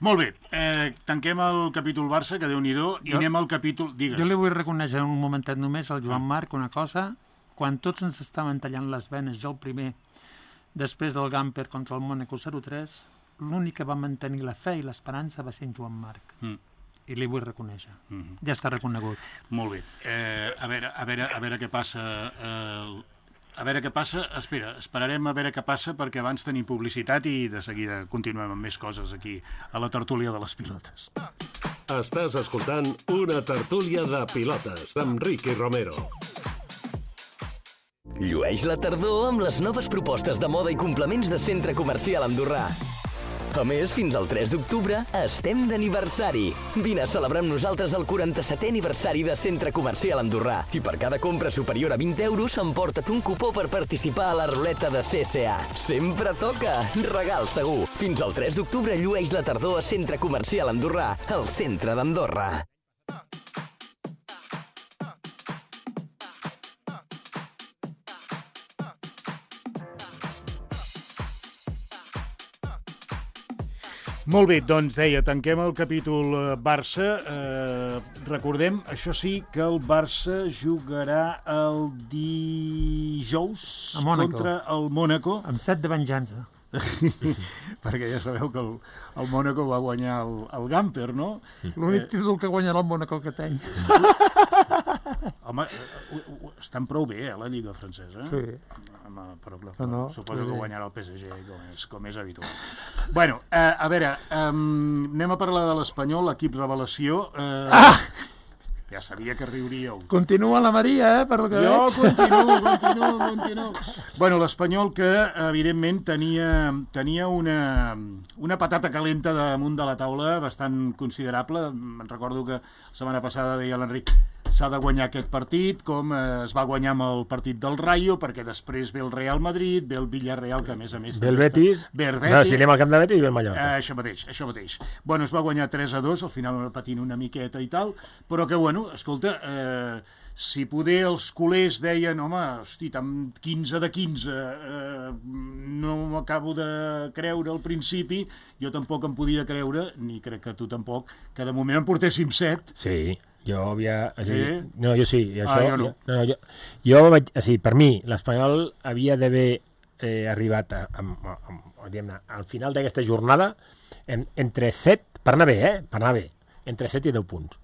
Molt bé, eh, tanquem el capítol Barça, que Déu-n'hi-do, i anem al capítol... Digues. Jo li vull reconèixer un momentet només al Joan Marc una cosa. Quan tots ens estaven tallant les venes, jo el primer, després del Gamper contra el Mónaco zero tres, l'únic que va mantenir la fe i l'esperança va ser en Joan Marc. Mm. I li vull reconèixer. Mm-hmm. Ja està reconegut. Molt bé. Eh, a, veure, a, veure, a veure què passa... Eh, A veure què passa, espera, esperarem a veure què passa perquè abans tenim publicitat i de seguida continuem amb més coses aquí a la tertúlia de les pilotes. Estàs escoltant una tertúlia de pilotes amb Ricky Romero. Llueix la tardor amb les noves propostes de moda i complements de Centre Comercial Andorrà. A més, fins al tres d'octubre estem d'aniversari. Vine a celebrar amb nosaltres el quaranta-setè aniversari de Centre Comercial Andorrà. I per cada compra superior a vint euros emporta't un cupó per participar a la ruleta de C C A. Sempre toca! Regal segur! Fins al tres d'octubre llueix la tardor a Centre Comercial Andorrà, al centre d'Andorra. Molt bé, doncs deia, tanquem el capítol Barça. Eh, recordem, això sí, que el Barça jugarà el dijous contra el Mónaco. Amb set de venjança. Perquè ja sabeu que el, el Mónaco va guanyar el, el Gamper, no? L'únic eh... títol que guanyarà el Mónaco que tenc. Home, estan prou bé, eh, la Lliga francesa. Sí. Home, però, però, no, no, suposo que guanyarà el P S G, com és, com és habitual. Bueno, eh, a veure, um, anem a parlar de l'Espanyol, l'equip revelació. Eh... Ah! Ja sabia que riuríeu. Continua la Maria, eh, per lo que Jo veig. continuo, continuo, continuo. Bueno, l'Espanyol que, evidentment, tenia, tenia una, una patata calenta damunt de la taula bastant considerable. Me'n recordo que la setmana passada deia l'Enric s'ha de guanyar aquest partit, com eh, es va guanyar amb el partit del Rayo, perquè després ve el Real Madrid, ve el Villarreal, que a més a més... Ve el Betis. Ve el No, Betis. si anem al camp de Betis, ve el Mallorca. Eh, això mateix, això mateix. Bueno, es va guanyar tres a dos, al final patint una miqueta i tal, però que, bueno, escolta, eh, si poder els culers deien, home, hosti, amb quinze de quinze, eh, no m'acabo de creure al principi, jo tampoc em podia creure, ni crec que tu tampoc, que de moment en portéssim set. Sí, jo havia... O sigui, Sí? No, jo sí. I això, Ah, jo no. Jo, no, jo, jo vaig, o sigui, per mi, l'Espanyol havia d'haver eh, arribat a, a, a, a, diguem-ne, al final d'aquesta jornada en, entre set, per anar bé, eh? Per anar bé, entre set i deu punts.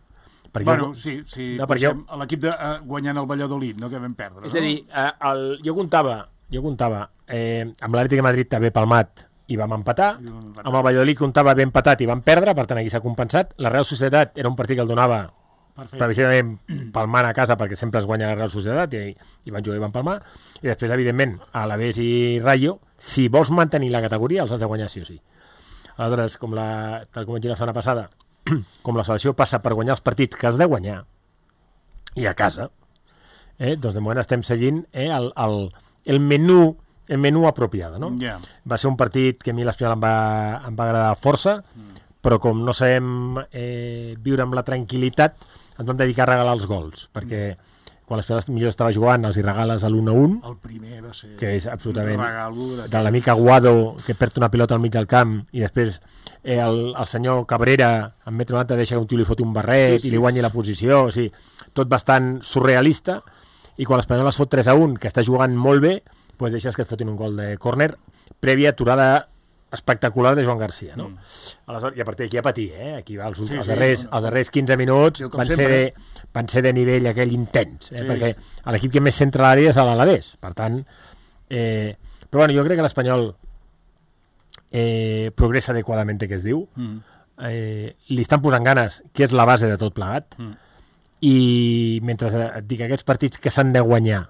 Perquè Bueno, jo, sí, sí, No, perquè posem a l'equip de uh, guanyant el Valladolid, no que vam perdre, és a no? dir, eh, el, jo comptava, jo comptava eh, amb l'Atlètic de Madrid també palmat i vam empatar, I vam empatar. amb el Valladolid comptava ben empatat i vam perdre, per tant aquí s'ha compensat. La Real Societat era un partit que el donava Perfecte. previsiblement palmant a casa perquè sempre es guanya la Real Societat i, i van jugar i van palmar, i després evidentment a l'Alavés i Rayo, si vols mantenir la categoria els has de guanyar sí o sí. Aleshores, com la, tal com vaig dir la setmana passada, com la selecció passa per guanyar els partits que has de guanyar i a casa, eh, doncs de moment estem seguint eh, el, el, el menú el menú apropiado, no? Ja. Va ser un partit que a mi l'Espanyol em, va, em va agradar força, però com no sabem eh, viure amb la tranquil·litat, ens vam dedicar a regalar els gols, perquè quan l'Espanyol millor estava jugant els hi regales a l'un a un, El primer va ser que és absolutament un regalo de... de l'amic Aguado, que perd una pilota al mig del camp, i després eh, el, el senyor Cabrera, en metro noranta, deixa que un tio li foti un barret Sí, sí, i li guanyi sí. la posició, o sigui, tot bastant surrealista, i quan l'Espanyol es fot tres a un, que està jugant molt bé, doncs deixes que et fotin un gol de córner, prèvia aturada espectacular de Joan Garcia, no? Mm. Aleshores, i a partir d'aquí a patir, eh? Aquí va, els, Sí, els, sí, darrers, no, no. els darrers quinze minuts Sí, com van ser, sempre. de, van ser de nivell aquell intens, eh? Sí, perquè sí. l'equip que més centra l'àrea és l'Alavés, per tant... Eh, però bueno, jo crec que l'Espanyol eh, progressa adequadament, que es diu, Mm. eh, li estan posant ganes, que és la base de tot plegat, Mm. i mentre et dic aquests partits que s'han de guanyar,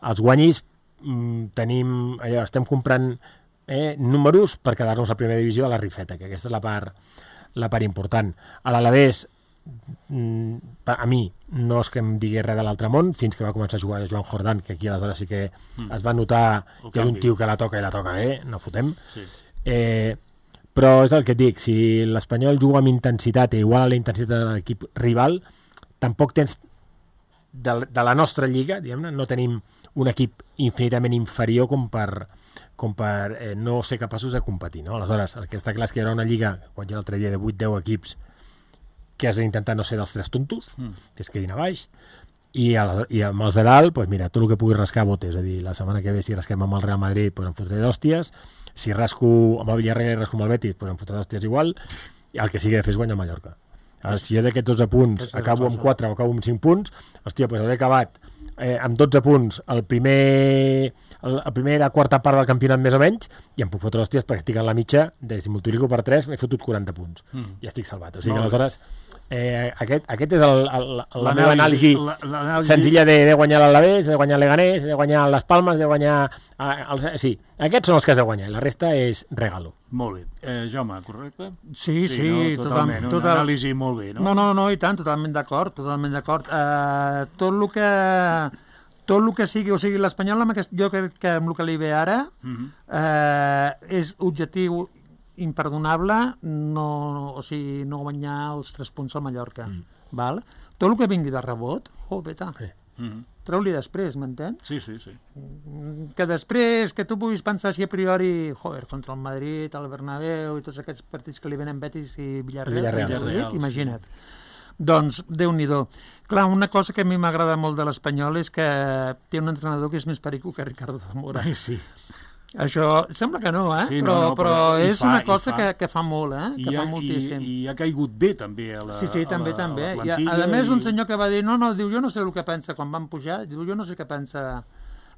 els guanyis, mm, tenim, allò, estem comprant eh, números per quedar-nos a primera divisió a la rifeta, que aquesta és la part, la part important. A l'Alavés, mm, a mi, no és que em digui res de l'altre món, fins que va començar a jugar Joan Jordán, que aquí aleshores sí que mm. es va notar El que és un canvi. tio que la toca i la toca bé, no fotem. Sí. Eh, però és el que et dic, si l'Espanyol juga amb intensitat i igual a la intensitat de l'equip rival, tampoc tens de, de la nostra lliga, diguem-ne, no tenim un equip infinitament inferior com per, com per eh, no ser capaços de competir, no? Aleshores, el que està clar és que hi haurà una lliga, quan hi ha l'altre dia, de vuit deu equips que has d'intentar no ser dels tres tontos, mm. que es quedin a baix, i, a, i amb els de dalt, pues mira, tot el que pugui rascar botes, és a dir, la setmana que ve si rasquem amb el Real Madrid, pues em fotré d'hòsties, si rasco amb el Villarreal i rasco amb el Betis, pues em fotré d'hòsties igual, i el que sigui de fer és guanyar el Mallorca. Ara, si jo d'aquests dotze punts Aquesta és acabo la amb cosa. quatre o acabo amb cinc punts, hòstia, pues hauré acabat eh, amb dotze punts el primer, el, la primera quarta part del campionat més o menys, i em puc fotre hòsties perquè estic en la mitja, de si multiplico per tres m'he fotut quaranta punts, Mm. i estic salvat. O sigui Molt que bé. aleshores eh, aquest, aquest és el, el, la L'anàlisi- meva anàlisi la- l'anàlisi- senzilla de, de guanyar l'Alavés, de guanyar l'Eganés, de guanyar les Palmes, de guanyar... Eh, els, sí, aquests són els que has de guanyar, i la resta és regalo. Molt bé. Eh, Jaume, correcte? Sí, sí, no? total, Totalment, una total, anàlisi molt bé, no? No, no, no, i tant, totalment d'acord, totalment d'acord. Uh, tot el que tot el que sigui, o sigui, l'Espanyol, amb aquest, jo crec que amb el que li ve ara, Mhm. uh, és objectiu imperdonable no, o sigui, no guanyar els tres punts al Mallorca. Mm. Val? Tot el que vingui de rebot, oh, peta, Sí. Mhm. treu-li després, m'entens? Sí, sí, sí. Que després, que tu puguis pensar així a priori, joder, contra el Madrid, el Bernabéu i tots aquests partits que li venen Betis i Villarreal, Villarreal, Villarreal, sí. imagina't. Doncs, Déu-n'hi-do. Clar, una cosa que a mi m'agrada molt de l'Espanyol és que té un entrenador que és més perico que Ricardo Zamora. Ai, sí. Això sembla que no, eh? Sí, no, però, no, però, però hi és fa, una hi cosa fa. que, que fa molt, eh? I Que ha, fa moltíssim. i, I ha caigut bé, també, a la Sí, sí, també, a la, també. A, la I, a, plantilla a més, un i- senyor que va dir, no, no, diu, jo no sé el que pensa quan van pujar, diu, jo no sé què pensa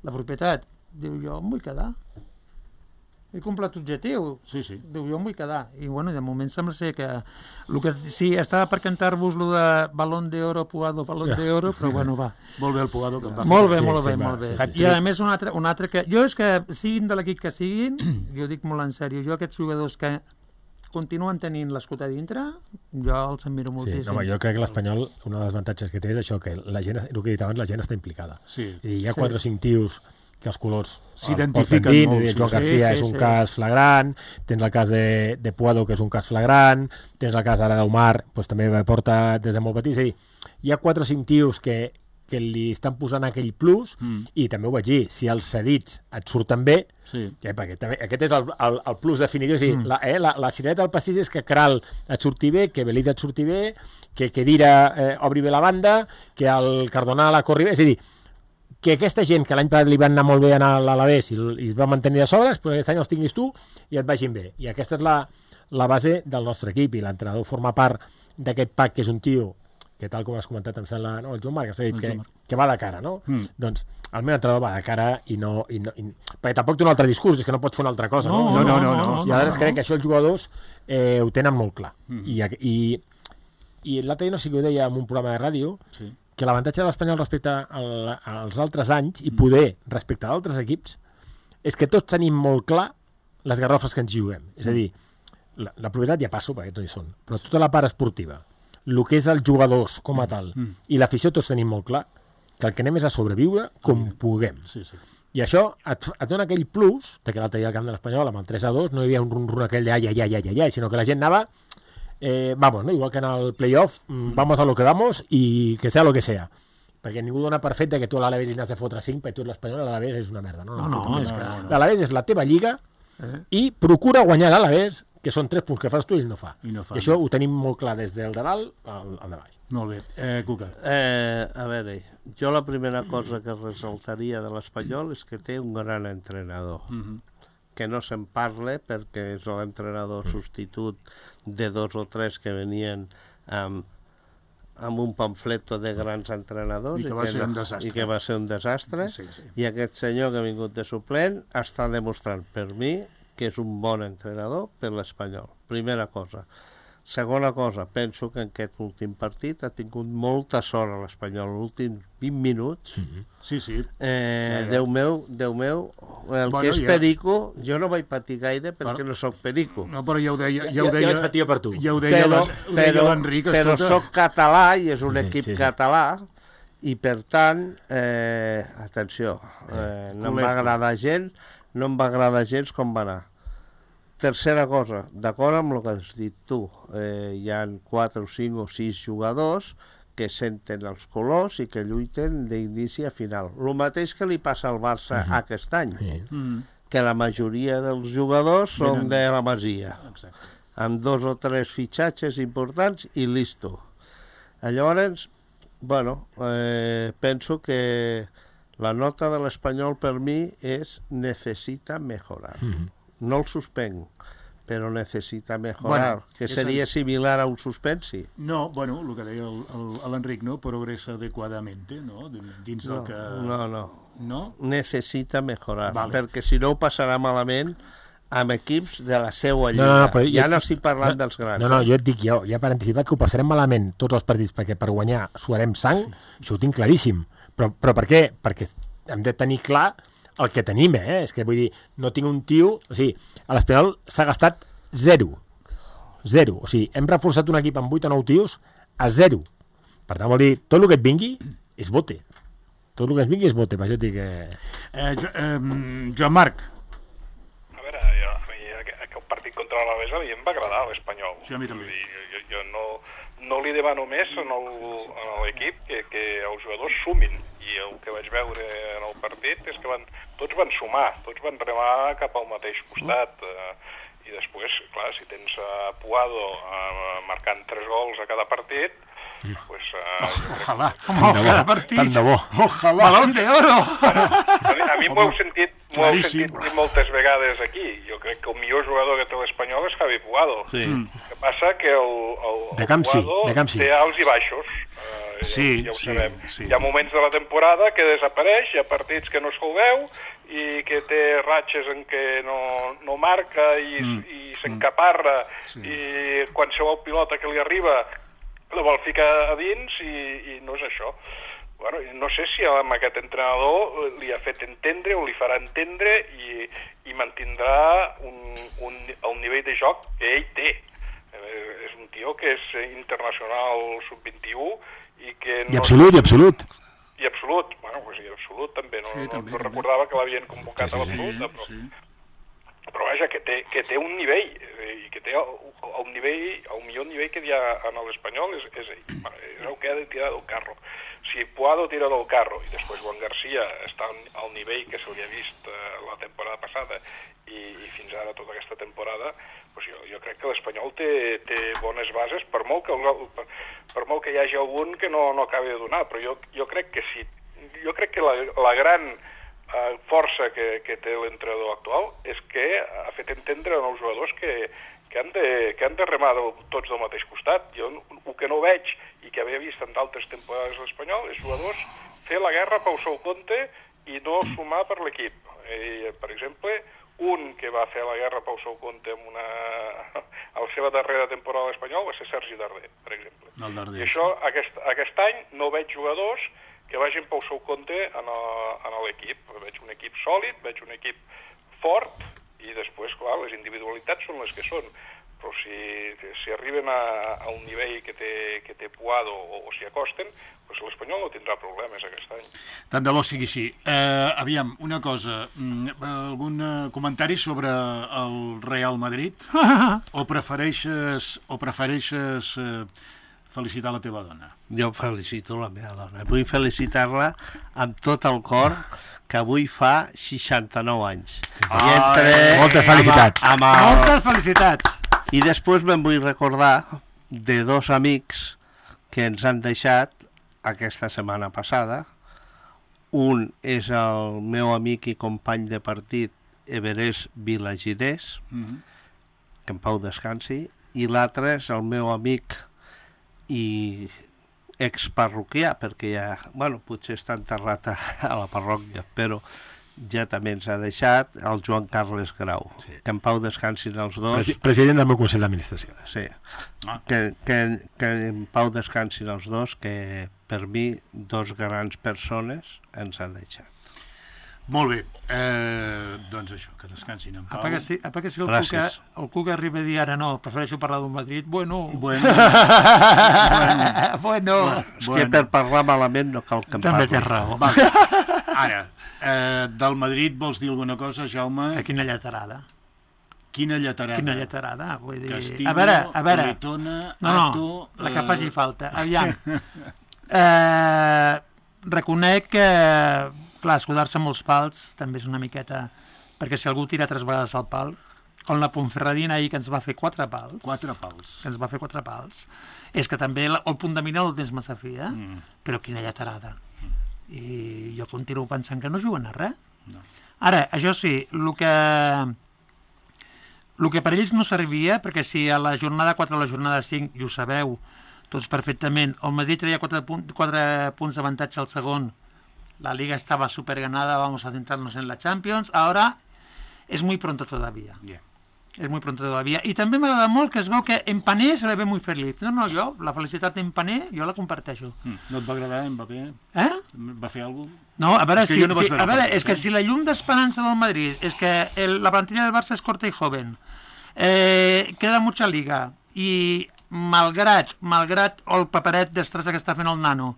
la propietat. Diu, jo em vull quedar. he complet objectiu. Sí, sí. Diu, jo em vull quedar. I, bueno, de moment sembla ser que... El que sí, estava per cantar-vos lo de Balón de Oro, Puado, Balón de Oro, però, bueno, va. Molt bé el Puado, que em va Molt bé, fer. molt Sí, bé, sí, molt va, bé. sí, sí. I, a més, un altre, un altre que... Jo és que, siguin de l'equip que siguin, jo dic molt en sèrio, jo aquests jugadors que continuen tenint l'escut a dintre, jo els admiro Sí, moltíssim. home, jo crec que l'Espanyol, un dels avantatges que té és això, que la gent, el que he dit abans, la gent està implicada. Sí. I hi ha quatre o cinc tios que els colors s'identifiquen dins, molt, el sí, Joan sí, Garcia sí, és un sí. cas flagrant, tens el cas de, de Puado, que és un cas flagrant, tens el cas ara d'Omar, doncs també porta des de molt petit, és a dir, hi ha quatre o cinc tios que, que li estan posant aquell plus, Mm. i també ho vaig dir, si els cedits et surten bé, Sí. ja, perquè també, aquest és el, el, el plus definitiu, és a dir, mm. la, eh, la, la cirereta del pastís és que Kral et surti bé, que Belida et surti bé, que Kedira eh, obri bé la banda, que el Cardonal la corri bé, és a dir, que aquesta gent que l'any passat li van anar molt bé a l'Alavés i, i es va mantenir de sobres, però aquest any els tinguis tu i et vagin bé. I aquesta és la, la base del nostre equip, i l'entrenador forma part d'aquest pack, que és un tio que, tal com has comentat, em sembla, no, el Joan Marc, has dit que, que va de cara, no? Mm. Doncs el meu entrenador va de cara i no, i no i, perquè tampoc té un altre discurs, és que no pot fer una altra cosa, no? No, no, no. no, no I ara no, crec que això els jugadors eh, ho tenen molt clar. Mm. I, i, i l'altre dia no sé què ho deia en un programa de ràdio, Sí. que l'avantatge de l'Espanyol respecte al, als altres anys, i poder respecte a altres equips, és que tots tenim molt clar les garrofes que ens juguem. És a dir, la, la propietat ja passo, perquè tots hi són, però tota la part esportiva, el que és els jugadors com a tal, Mm. i l'afició tots tenim molt clar que el que anem és a sobreviure com puguem. Sí, sí. I això et, et dona aquell plus, de que l'altre dia al camp de l'Espanyol, amb el tres a dos, no hi havia un rum-rum aquell de ai, ai, ai, ai, ai, sinó que la gent anava, eh, vamos, ¿no? Igual que en el playoff, mm, vamos a lo que vamos i que sea lo que sea. Perquè ningú dona per fet de que tu a l'Alavés hi n'has de fotre cinc, perquè tu l'Espanyol a l'Alavés és una merda. No, No, no, és que... L'Alavés és la teva lliga i procura guanyar l'Alavés, que són tres punts que fas tu i ell no fa. I no fa. I això ho tenim molt clar des del de dalt al, al de baix. Molt bé. Eh, Cuca. Eh, a veure, jo la primera cosa que ressaltaria de l'Espanyol és que té un gran entrenador. Mm -hmm. Que no se'n parle perquè és l'entrenador substitut de dos o tres que venien amb, amb un pamfleto de grans entrenadors I que va ser un desastre. i que va ser un desastre Sí, sí. i aquest senyor que ha vingut de suplent està demostrant per mi que és un bon entrenador per l'Espanyol. Primera cosa. Segona cosa, penso que en aquest últim partit ha tingut molta sort a l'Espanyol, els últims vint minuts. Mm-hmm. Sí, sí. Eh, Ja, ja. Déu meu, Déu meu, el Bueno, que és ja. perico, jo no vaig patir gaire perquè Però- no sóc perico. No, però ja ho deia... Ja, Ja- ho ja deia, vaig patir per tu. Ja ho deia, però, les- ho deia però, l'Enric, però escolta. soc català i és un Sí, equip sí. català i per tant, eh, atenció, eh, no em Culet. va agradar gens, no em va agradar gens com va anar. Tercera cosa, d'acord amb el que has dit tu, eh, hi ha quatre o cinc o sis jugadors que senten els colors i que lluiten d'inici a final. El mateix que li passa al Barça Mhm. aquest any, Sí. Mm, que la majoria dels jugadors són Venen- de la Masia, exacte. amb dos o tres fitxatges importants i listo. Llavors, bueno, eh, penso que la nota de l'Espanyol per mi és necessita mejorar. Mm-hmm. No el suspenc, però necessita mejorar, Bueno, que és seria el- similar a un suspensi. No, bueno, el que deia el- el- l'Enric, no? Progressa adequadamente, no? Dins del No, que... no, no. No? Necessita mejorar, Vale. perquè si no ho passarà malament amb equips de la seua lliga. No, no, però ja jo- no estic parlant dels grans. No, no, eh? jo et dic, jo, ja per anticipat que ho passarem malament tots els partits, perquè per guanyar suarem sang, això ho tinc claríssim. Però, però per què? Perquè hem de tenir clar el que tenim, eh? És que vull dir, no tinc un tio... O sigui, a l'Espanyol s'ha gastat zero. Zero. O sigui, hem reforçat un equip amb vuit o nou tios a zero. Per tant, vol dir, tot el que et vingui és bote. Tot el que ens vingui és bote, per això et dic que... Eh, jo, eh, Joan Marc. A veure, jo, a mi aqu- aquell partit contra l'Alavés a mi em va agradar l'Espanyol. Sí, a mi també. Vull dir, jo, jo no, no li demano més en el- a l'equip que, que els jugadors sumin. I el que vaig veure en el partit és que van, tots van sumar, tots van remar cap al mateix costat. Eh, I després, clar, si tens a Puado eh, marcant tres gols a cada partit, pues, eh, Ojalà. Home, cada partit. Tant de bo. Ojalà. Balón de oro! A mi, a mi m'ho heu sentit, m'ho heu claríssim. sentit dir moltes vegades aquí. Jo crec que el millor jugador que té l'Espanyol és Javi Puado. Sí. Mm. El que passa que el, el, De el camp sí, Puado de camp sí. té alts i baixos. Eh, Sí, ja, ja ho sí, sabem. sí. Hi ha moments de la temporada que desapareix, hi ha partits que no se'l veu i que té ratxes en què no, no marca i, mm. i s'encaparra sí. i qualsevol pilota que li arriba la vol ficar a dins i, i no és això. Bueno, no sé si amb aquest entrenador li ha fet entendre o li farà entendre i, i mantindrà un, un, el nivell de joc que ell té. Eh, és un tio que és internacional sub vint-i-u i que... No... I absolut, i absolut. I absolut, bueno, pues i absolut també, no, sí, no, també, no recordava que l'havien convocat sí, sí, a l'absolut, sí, però, sí. però vaja, que té, que té un nivell, i que té el, el nivell, el millor nivell que hi ha en l'Espanyol és, és ell, bueno, és el que ha de tirar del carro. Si Puado tira del carro i després Juan García està al nivell que se li ha vist eh, la temporada passada i, i fins ara tota aquesta temporada, pues jo, jo crec que l'Espanyol té, té bones bases, per molt que, per, per molt que hi hagi algun que no, no acabi de donar, però jo, jo crec que sí, jo crec que la, la gran eh, força que, que té l'entrenador actual és que ha fet entendre als jugadors que, que, han de, que han de remar del, tots del mateix costat. Jo el que no veig i que havia vist en d'altres temporades a l'Espanyol és jugadors fer la guerra pel seu compte i no sumar per l'equip. Eh, per exemple, un que va fer la guerra pel seu compte en una... a la seva darrera temporada a l'Espanyol va ser Sergi Darder, per exemple. El Darder. I això, aquest, aquest any, no veig jugadors que vagin pel seu compte en l'equip. Veig un equip sòlid, veig un equip fort, i després, clar, les individualitats són les que són. Però si, si arriben a, a un nivell que té, que té Puado o, o s'hi acosten, doncs l'Espanyol no tindrà problemes aquest any. Tant de bo sigui així. Eh, aviam, una cosa, algun comentari sobre el Real Madrid? O prefereixes, o prefereixes eh, felicitar la teva dona? Jo felicito la meva dona. Vull felicitar-la amb tot el cor, que avui fa seixanta-nou anys. Ah, I entre... Moltes felicitats. Amb, amb el... Moltes felicitats. I després me'n vull recordar de dos amics que ens han deixat aquesta setmana passada. Un és el meu amic i company de partit Everest Vilagirés, mm-hmm. que en pau descansi, i l'altre és el meu amic i exparroquià, perquè ja, bueno, potser està enterrat a, a la parròquia, però ja també ens ha deixat el Joan Carles Grau, sí. Que en pau descansin els dos. Presi president del meu Consell d'Administració. Sí, ah. que, que, que en pau descansin els dos, que per mi dos grans persones ens han deixat. Molt bé, eh, doncs això, que descansin en pau. Apa que si, apa que si el, Cuca, el Cuca arriba a dir ara no, prefereixo parlar d'un Madrid, bueno... Bueno, bueno, bueno. És bueno. Que per parlar malament no cal que em també parli. té raó. Vale. Ara, eh, del Madrid vols dir alguna cosa, Jaume? Que quina lletarada. Quina lletarada? Quina lletarada, vull dir... Castillo, a veure, a veure... Politona, no, no, Ato, la que eh... faci falta. Aviam. eh, reconec que... Clar, escudar-se amb els pals també és una miqueta... Perquè si algú tira tres vegades al pal, com la Ponferradina ahir que ens va fer quatre pals... Quatre pals. Que ens va fer quatre pals. És que també el, el punt de mira el tens massa fi, eh? Mm. Però quina lletarada. Mm. I jo continuo pensant que no juguen a res. No. Ara, això sí, el que... El que per ells no servia, perquè si a la jornada quatre o a la jornada cinc, i ho sabeu tots perfectament, el Madrid traia quatre, punt, quatre punts d'avantatge al segon, la Liga estaba súper ganada, vamos a centrarnos en la Champions. Ahora es muy pronto todavía. Yeah. Es muy pronto todavía. I també m'agrada molt que es veu que Empané se le ve muy feliz. No, no, jo, la felicitat d'Empané, jo la comparteixo. Mm. No et va agradar Mbappé? Eh? Va fer alguna cosa? No, a veure, és si, no si, a veure part, és que si la llum d'esperança del Madrid és que el, la plantilla del Barça és corta i joven, eh, queda mucha liga, i malgrat, malgrat el paperet d'estressa que està fent el nano,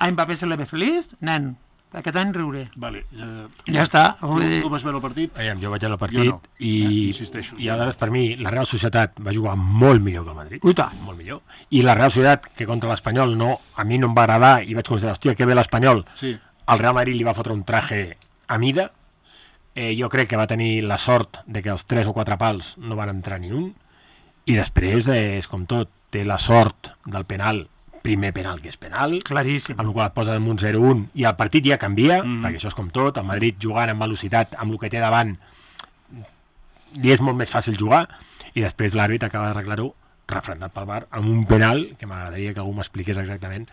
a Mbappé se le ve feliç, nen, aquest any riuré. Vale, uh, ja està. Tu, dir... tu vas veure el partit? Aviam, jo vaig veure el partit no. i, eh, i aleshores per mi la Real Societat va jugar molt millor que el Madrid. Ui, tant. Molt millor. I la Real Societat, que contra l'Espanyol no, a mi no em va agradar i vaig considerar, hòstia, que bé l'Espanyol. Sí. El Real Madrid li va fotre un traje a mida. Eh, jo crec que va tenir la sort de que els tres o quatre pals no van entrar ni un. I després, eh, és com tot, té la sort del penal, primer penal que és penal, claríssim, amb el qual et posa en un zero un i el partit ja canvia, mm. perquè això és com tot, el Madrid jugant amb velocitat, amb el que té davant, li és molt més fàcil jugar, i després l'àrbit acaba d'arreglar-ho refrendat pel V A R amb un penal, que m'agradaria que algú m'expliqués exactament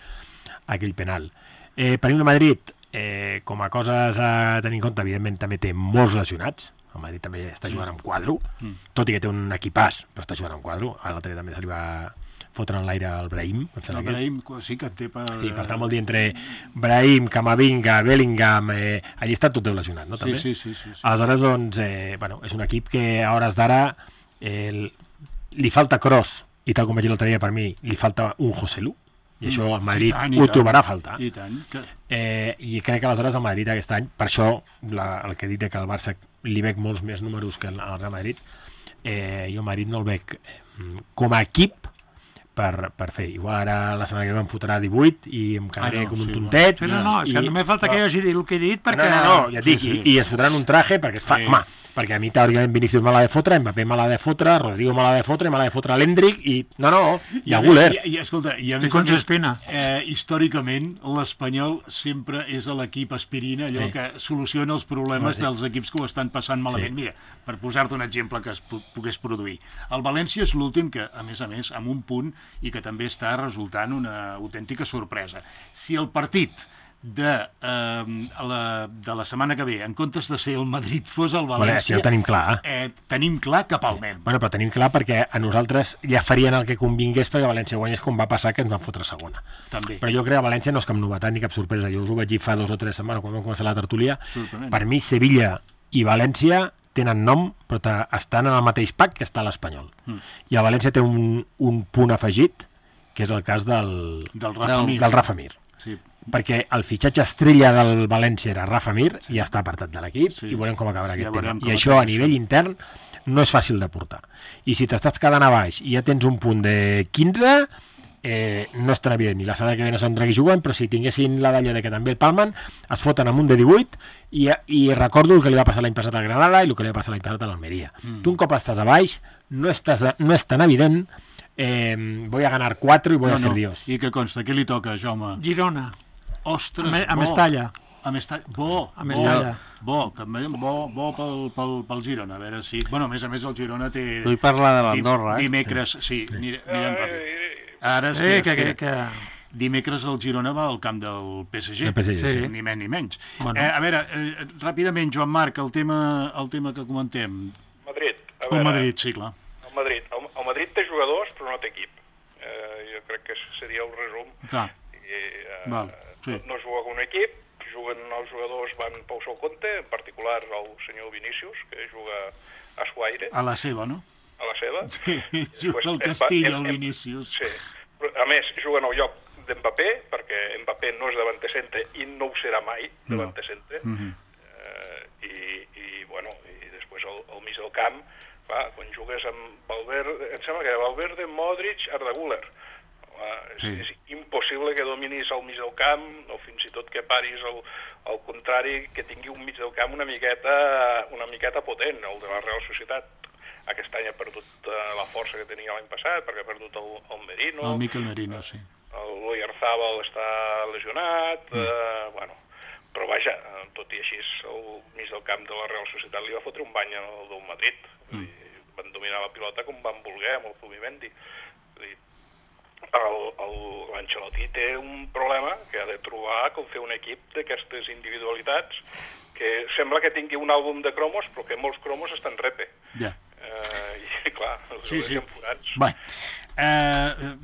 aquell penal. Eh, per mi el Madrid eh, com a coses a tenir en compte, evidentment també té molts lesionats. El Madrid també està jugant amb quadro, mm. tot i que té un equipàs, però està jugant amb quadro. A l'altre també se li va fotre en l'aire el Brahim. El Brahim sí que té per... Sí, per tant vol dir entre Brahim, Camavinga, Bellingham, eh, allà està tot lesionat, no? També? Sí, sí, sí, sí, sí. Aleshores, doncs, eh, bueno, és un equip que a hores d'ara eh, li falta Kroos, i tal com vaig dir l'altre dia, per mi, li falta un Joselu, i això el Madrid tant, ho tant, trobarà a faltar. I tant. Que... Eh, I crec que aleshores el Madrid aquest any, per això la, el que he dit que al Barça li veig molts més números que al Real Madrid, eh, jo el Madrid no el veig eh, com a equip per, per fer. Igual ara la setmana que ve em fotrà divuit i em quedaré ah, no, com un sí, tontet. No, no, no, és que només falta no. que jo hagi dit el que he dit perquè... No, no, no, ja et dic, sí, sí. I, i es fotran un traje perquè es fa... Sí. Home, perquè a mi teòricament Vinícius me l'ha de fotre, Mbappé me l'ha de fotre, Rodrigo me l'ha de fotre, me l'ha de fotre l'Hendrick i... No, no, i a Güler. I, i, escolta, i a més, I Espina. Eh, històricament l'Espanyol sempre és l'equip aspirina, allò sí. que soluciona els problemes sí. dels equips que ho estan passant malament. Sí. Mira, per posar-te un exemple que es pogués produir. El València és l'últim que, a més a més, amb un punt i que també està resultant una autèntica sorpresa. Si el partit de, eh, la, de la setmana que ve, en comptes de ser el Madrid, fos el València... Bueno, ja ho tenim clar. Eh, tenim clar que palmem. Bueno, però tenim clar perquè a nosaltres ja farien el que convingués perquè València guanyés, com va passar que ens van fotre segona. També. Però jo crec que València no és cap novetat ni cap sorpresa. Jo us ho vaig dir fa dos o tres setmanes quan vam començar la tertúlia. Per mi, Sevilla i València tenen nom, però estan en el mateix pack que està l'Espanyol. Mm. I el València té un, un punt afegit, que és el cas del, del Rafa Mir. Del Rafa Mir. Sí. Perquè el fitxatge estrella del València era Rafa Mir, sí. i ja està apartat de l'equip, sí. i veurem com acabarà aquest ja tema. I això a nivell intern no és fàcil de portar. I si t'estàs quedant a baix i ja tens un punt de quinze, eh, no és tan evident. I la setmana que ve no sabem qui juguen, però si tinguessin la d'allò de que també el palmen, es foten amb un de divuit, i, i recordo el que li va passar l'any passat al Granada i el que li va passar l'any passat a l'Almeria. Mm. Tu un cop estàs a baix, no, estàs a, no és tan evident, eh, voy a ganar cuatro y voy no, a ser no. Dios. I què consta? Què li toca, Jaume? Girona. Ostres, a, a Mestalla. A Mestalla. Bo, a Mestalla. Bo, bo, bo, bo pel, pel, pel Girona, a veure si... Bueno, a més a més el Girona té... Vull parlar de l'Andorra, eh? Dimecres, sí, sí. mirem ràpid. Ara, espera, eh, que, que, que... Dimecres el Girona va al camp del P S G, P S G sí. sí. ni menys ni menys. Bueno. Eh, a veure, eh, ràpidament, Joan Marc, el tema, el tema que comentem. Madrid. A veure, el Madrid, sí, clar. El Madrid. El, el Madrid té jugadors, però no té equip. Eh, jo crec que seria el resum. Clar. I, eh, Val. Sí. No, no juga amb un equip, juguen els jugadors, van pel seu compte, en particular el senyor Vinícius, que juga a Suaire. A la seva, no? A la seva. Sí, juga al Castilla, el Vinícius. Sí, a més, juguen al lloc d'Mbappé, perquè Mbappé no és davanter centre i no ho serà mai davanter centre. No. Mm-hmm. eh, i, i, bueno, i després al, al mig del camp, clar, quan jugues amb Valverde, em sembla que Valverde, Modric, Arda Güler. És, sí. és impossible que dominis al mig del camp o fins i tot que paris al, al contrari, que tingui un mig del camp una miqueta, una miqueta potent, el de la Real Societat. Aquest any ha perdut uh, la força que tenia l'any passat perquè ha perdut el, el Merino. El Mikel Merino, sí. El Oyarzabal està lesionat, mm. uh, bueno, però vaja, tot i així el mig del camp de la Real Societat li va fotre un bany al del Madrid. Mm. I van dominar la pilota com van voler amb el Zubimendi. L'Ancelotti té un problema que ha de trobar com fer un equip d'aquestes individualitats que sembla que tingui un àlbum de cromos però que molts cromos estan repe. Ja. Eh, I clar, els sí, sí. forats. Bé, eh,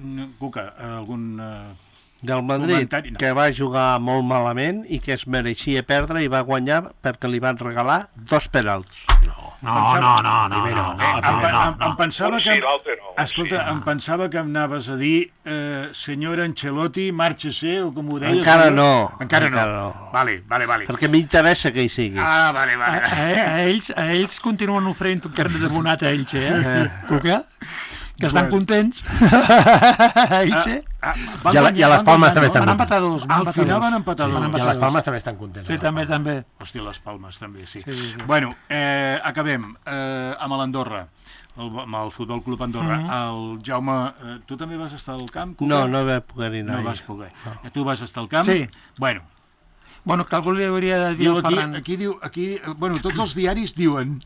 Cuca, algun... Eh... Del Madrid, no. Que va jugar molt malament i que es mereixia perdre i va guanyar perquè li van regalar dos penals. No, no, no, no, no, no, no, em, em, em pensava que... no. Escolta, em pensava que em anaves a dir eh, senyor Ancelotti, márchese, o com ho deies. Encara no. Encara no. Encara no. Vale, vale, vale. Perquè m'interessa que hi sigui. Ah, vale, vale. A, a, a, ells, a ells continuen oferint un carnet de bonat a ells, eh? Cuca? Que estan contents. Elche. Ah, ah, I, a, I a les Palmes també estan contents. Van empatar dos. Al final van empatar dos. I a les Palmes també estan contents. Sí, també, també. Hòstia, les Palmes també, sí. sí, sí. Bueno, eh, acabem eh, amb l'Andorra, el, amb el Futbol Club Andorra. Mm -hmm. El Jaume, eh, tu també vas estar al camp? Cuca? No, no vaig poder anar. No vas poder. No. Tu vas estar al camp? Sí. Bueno. Bueno, que algú li hauria de dir al Ferran. Aquí, aquí diu, aquí, bueno, tots els diaris diuen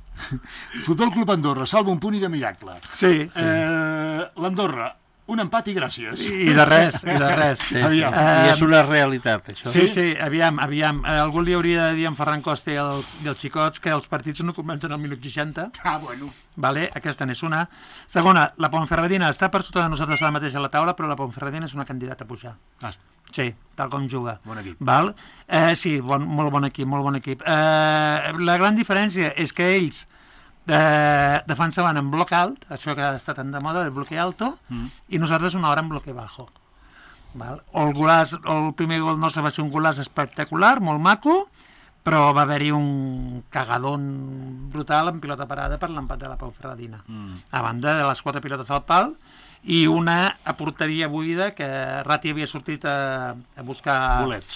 Futbol Club Andorra, salva un punt i de miracle. Sí. Eh, L'Andorra, un empat i gràcies. I de res, i de res. Sí, sí. Aviam. I és una realitat, això. Sí, sí, aviam, aviam. Eh, algú li hauria de dir a en Ferran Costa i els, i els xicots que els partits no comencen al minut seixanta. Ah, bueno. Vale, aquesta n'és una. Segona, la Ponferradina està per sota de nosaltres ara mateix a la taula, però la Ponferradina és una candidata a pujar. Ah, Sí, tal com juga. Bon equip. Val? Eh, sí, bon, molt bon equip, molt bon equip. Eh, la gran diferència és que ells eh, defensaven en bloc alt, això que ha estat tan de moda, el bloque alto, mm. i nosaltres una hora en bloque bajo. Val? El, golàs, el primer gol nostre va ser un golàs espectacular, molt maco, però va haver-hi un cagadón brutal en pilota parada per l'empat de la Ponferradina. Mm. A banda de les quatre pilotes al pal, i una a porteria buida que Ratti havia sortit a, a buscar... Bolets.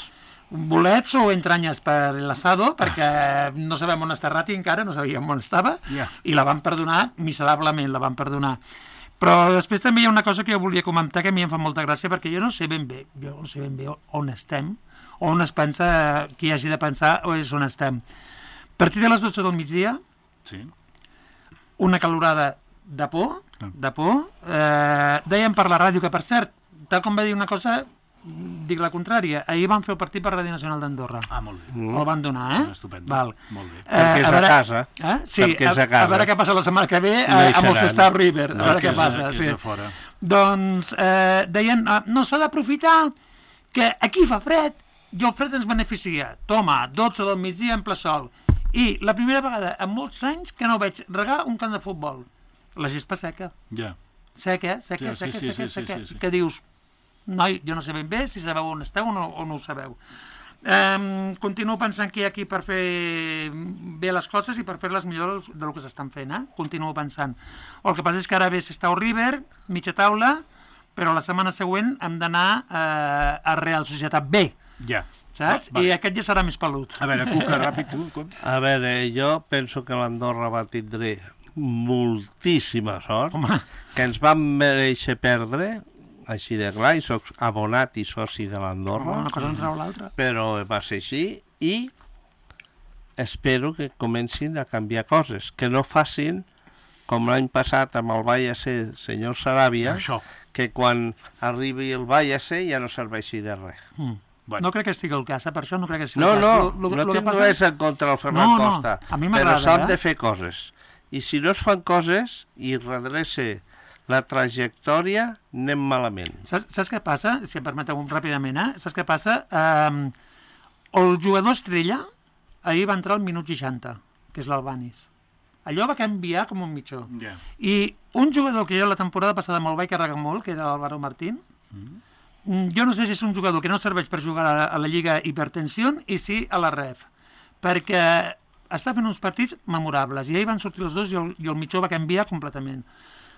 Bolets o entranyes per l'Asado, perquè no sabem on està Ratti encara, no sabíem on estava, Yeah. i la van perdonar, miserablement la van perdonar. Però després també hi ha una cosa que jo volia comentar que a mi em fa molta gràcia, perquè jo no sé ben bé, jo no sé ben bé on estem, on es pensa, qui hagi de pensar o és on estem. Partit de les dotze del migdia, Sí. una calorada de por, de por. Eh, deien per la ràdio que, per cert, tal com va dir una cosa, dic la contrària. Ahir van fer el partit per Ràdio Nacional d'Andorra. Ah, molt bé. Mm. El van donar, eh? Estupendo. Val. Molt bé. Perquè és a veure- casa. Eh? Sí, Perquè és a a, casa. a veure què passa la setmana que ve No a, hi amb el seran. Star River. A No, veure que què és a- passa. que és Sí. a fora. Doncs eh, deien, eh, no s'ha d'aprofitar que aquí fa fred i el fred ens beneficia. Toma, dotze del migdia en ple sol. I la primera vegada en molts anys que no veig regar un camp de futbol. La gespa seca. Ja. Seca, seca, Sí, sí, seca, sí, seca, sí, sí, seca. sí, sí. Que dius, noi, jo no sé ben bé si sabeu on esteu o no, o no ho sabeu. Um, continuo pensant que hi ha aquí per fer bé les coses i per fer-les millor del que s'estan fent, eh? Continuo pensant. El que passa és que ara ve Sestao River, mitja taula, però la setmana següent hem d'anar eh, a Real Societat B, Ja. saps? Va, vale. I aquest ja serà més pelut. A veure, Cuca, ràpid, tu. Com? A veure, jo penso que l'Andorra va tindre moltíssima sort, Home, que ens vam mereixer perdre, així de clar, i soc abonat i soci de l'Andorra, una cosa no treu l'altra. però va ser així, i espero que comencin a canviar coses, que no facin com l'any passat amb el Vallese, senyor Saràbia, Això. que quan arribi el Vallese ja no serveixi de res. Mm. Bueno. No crec que estigui el cas, eh? Per això no crec que sigui No, el cas. no, Lo- lo- no lo que tinc passa- res en contra del Ferran No, no, Costa, a mi però m'agrada, s'han eh? de fer coses. I si no es fan coses i redrece la trajectòria, anem malament. Saps, saps què passa? Si em permeteu ràpidament, eh? Saps què passa? Um, el jugador estrella ahir va entrar al minut seixanta, que és l'Albanis. Allò va canviar com un mitjó. Ja. I un jugador que jo la temporada passada me'l vaig carregar molt, que era l'Álvaro Martín, mm. jo no sé si és un jugador que no serveix per jugar a, a la Lliga Hipertensió i sí a la Ref, perquè està fent uns partits memorables, i ahir van sortir els dos i el, i el mitjó va canviar completament.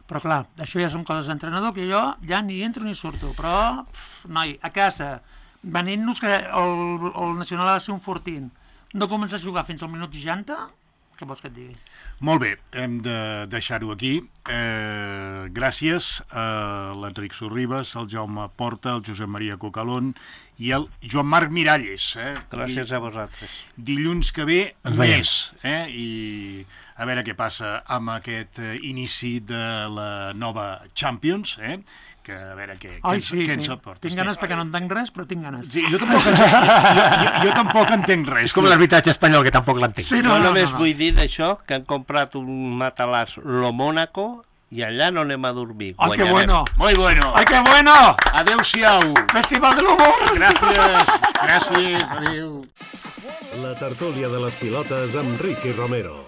Però clar, això ja són coses d'entrenador que jo ja ni entro ni surto, però, pf, noi, a casa, venint-nos que el, el Nacional ha de ser un fortín, no comença a jugar fins al minut seixanta, què vols que et digui? Molt bé, hem de deixar-ho aquí. Eh, gràcies a l'Enric Sorribas, al Jaume Porta, al Josep Maria Cocalón i al Joan Marc Miralles. Eh? Gràcies a vosaltres. Dilluns que ve, Ens veiem. més. Eh? I a veure què passa amb aquest eh, inici de la nova Champions, eh? que a veure què, què, Ai, ens, sí, què sí. ens aporta. Tinc ganes perquè no entenc res, però tinc ganes. Sí, jo tampoc, entenc, jo, jo, jo tampoc entenc res. És com l'arbitratge espanyol, que tampoc l'entenc. Sí, No, no, no, només no, no. vull dir d'això, que han comprat un matalàs lo Mónaco i allà no anem a dormir. Ai, que Guanyarem. bueno! Muy bueno. Ai, que bueno! Adéu-siau. Festival de l'humor! Gràcies. Gràcies. Adéu. La tertúlia de les pilotes amb Ricky Romero.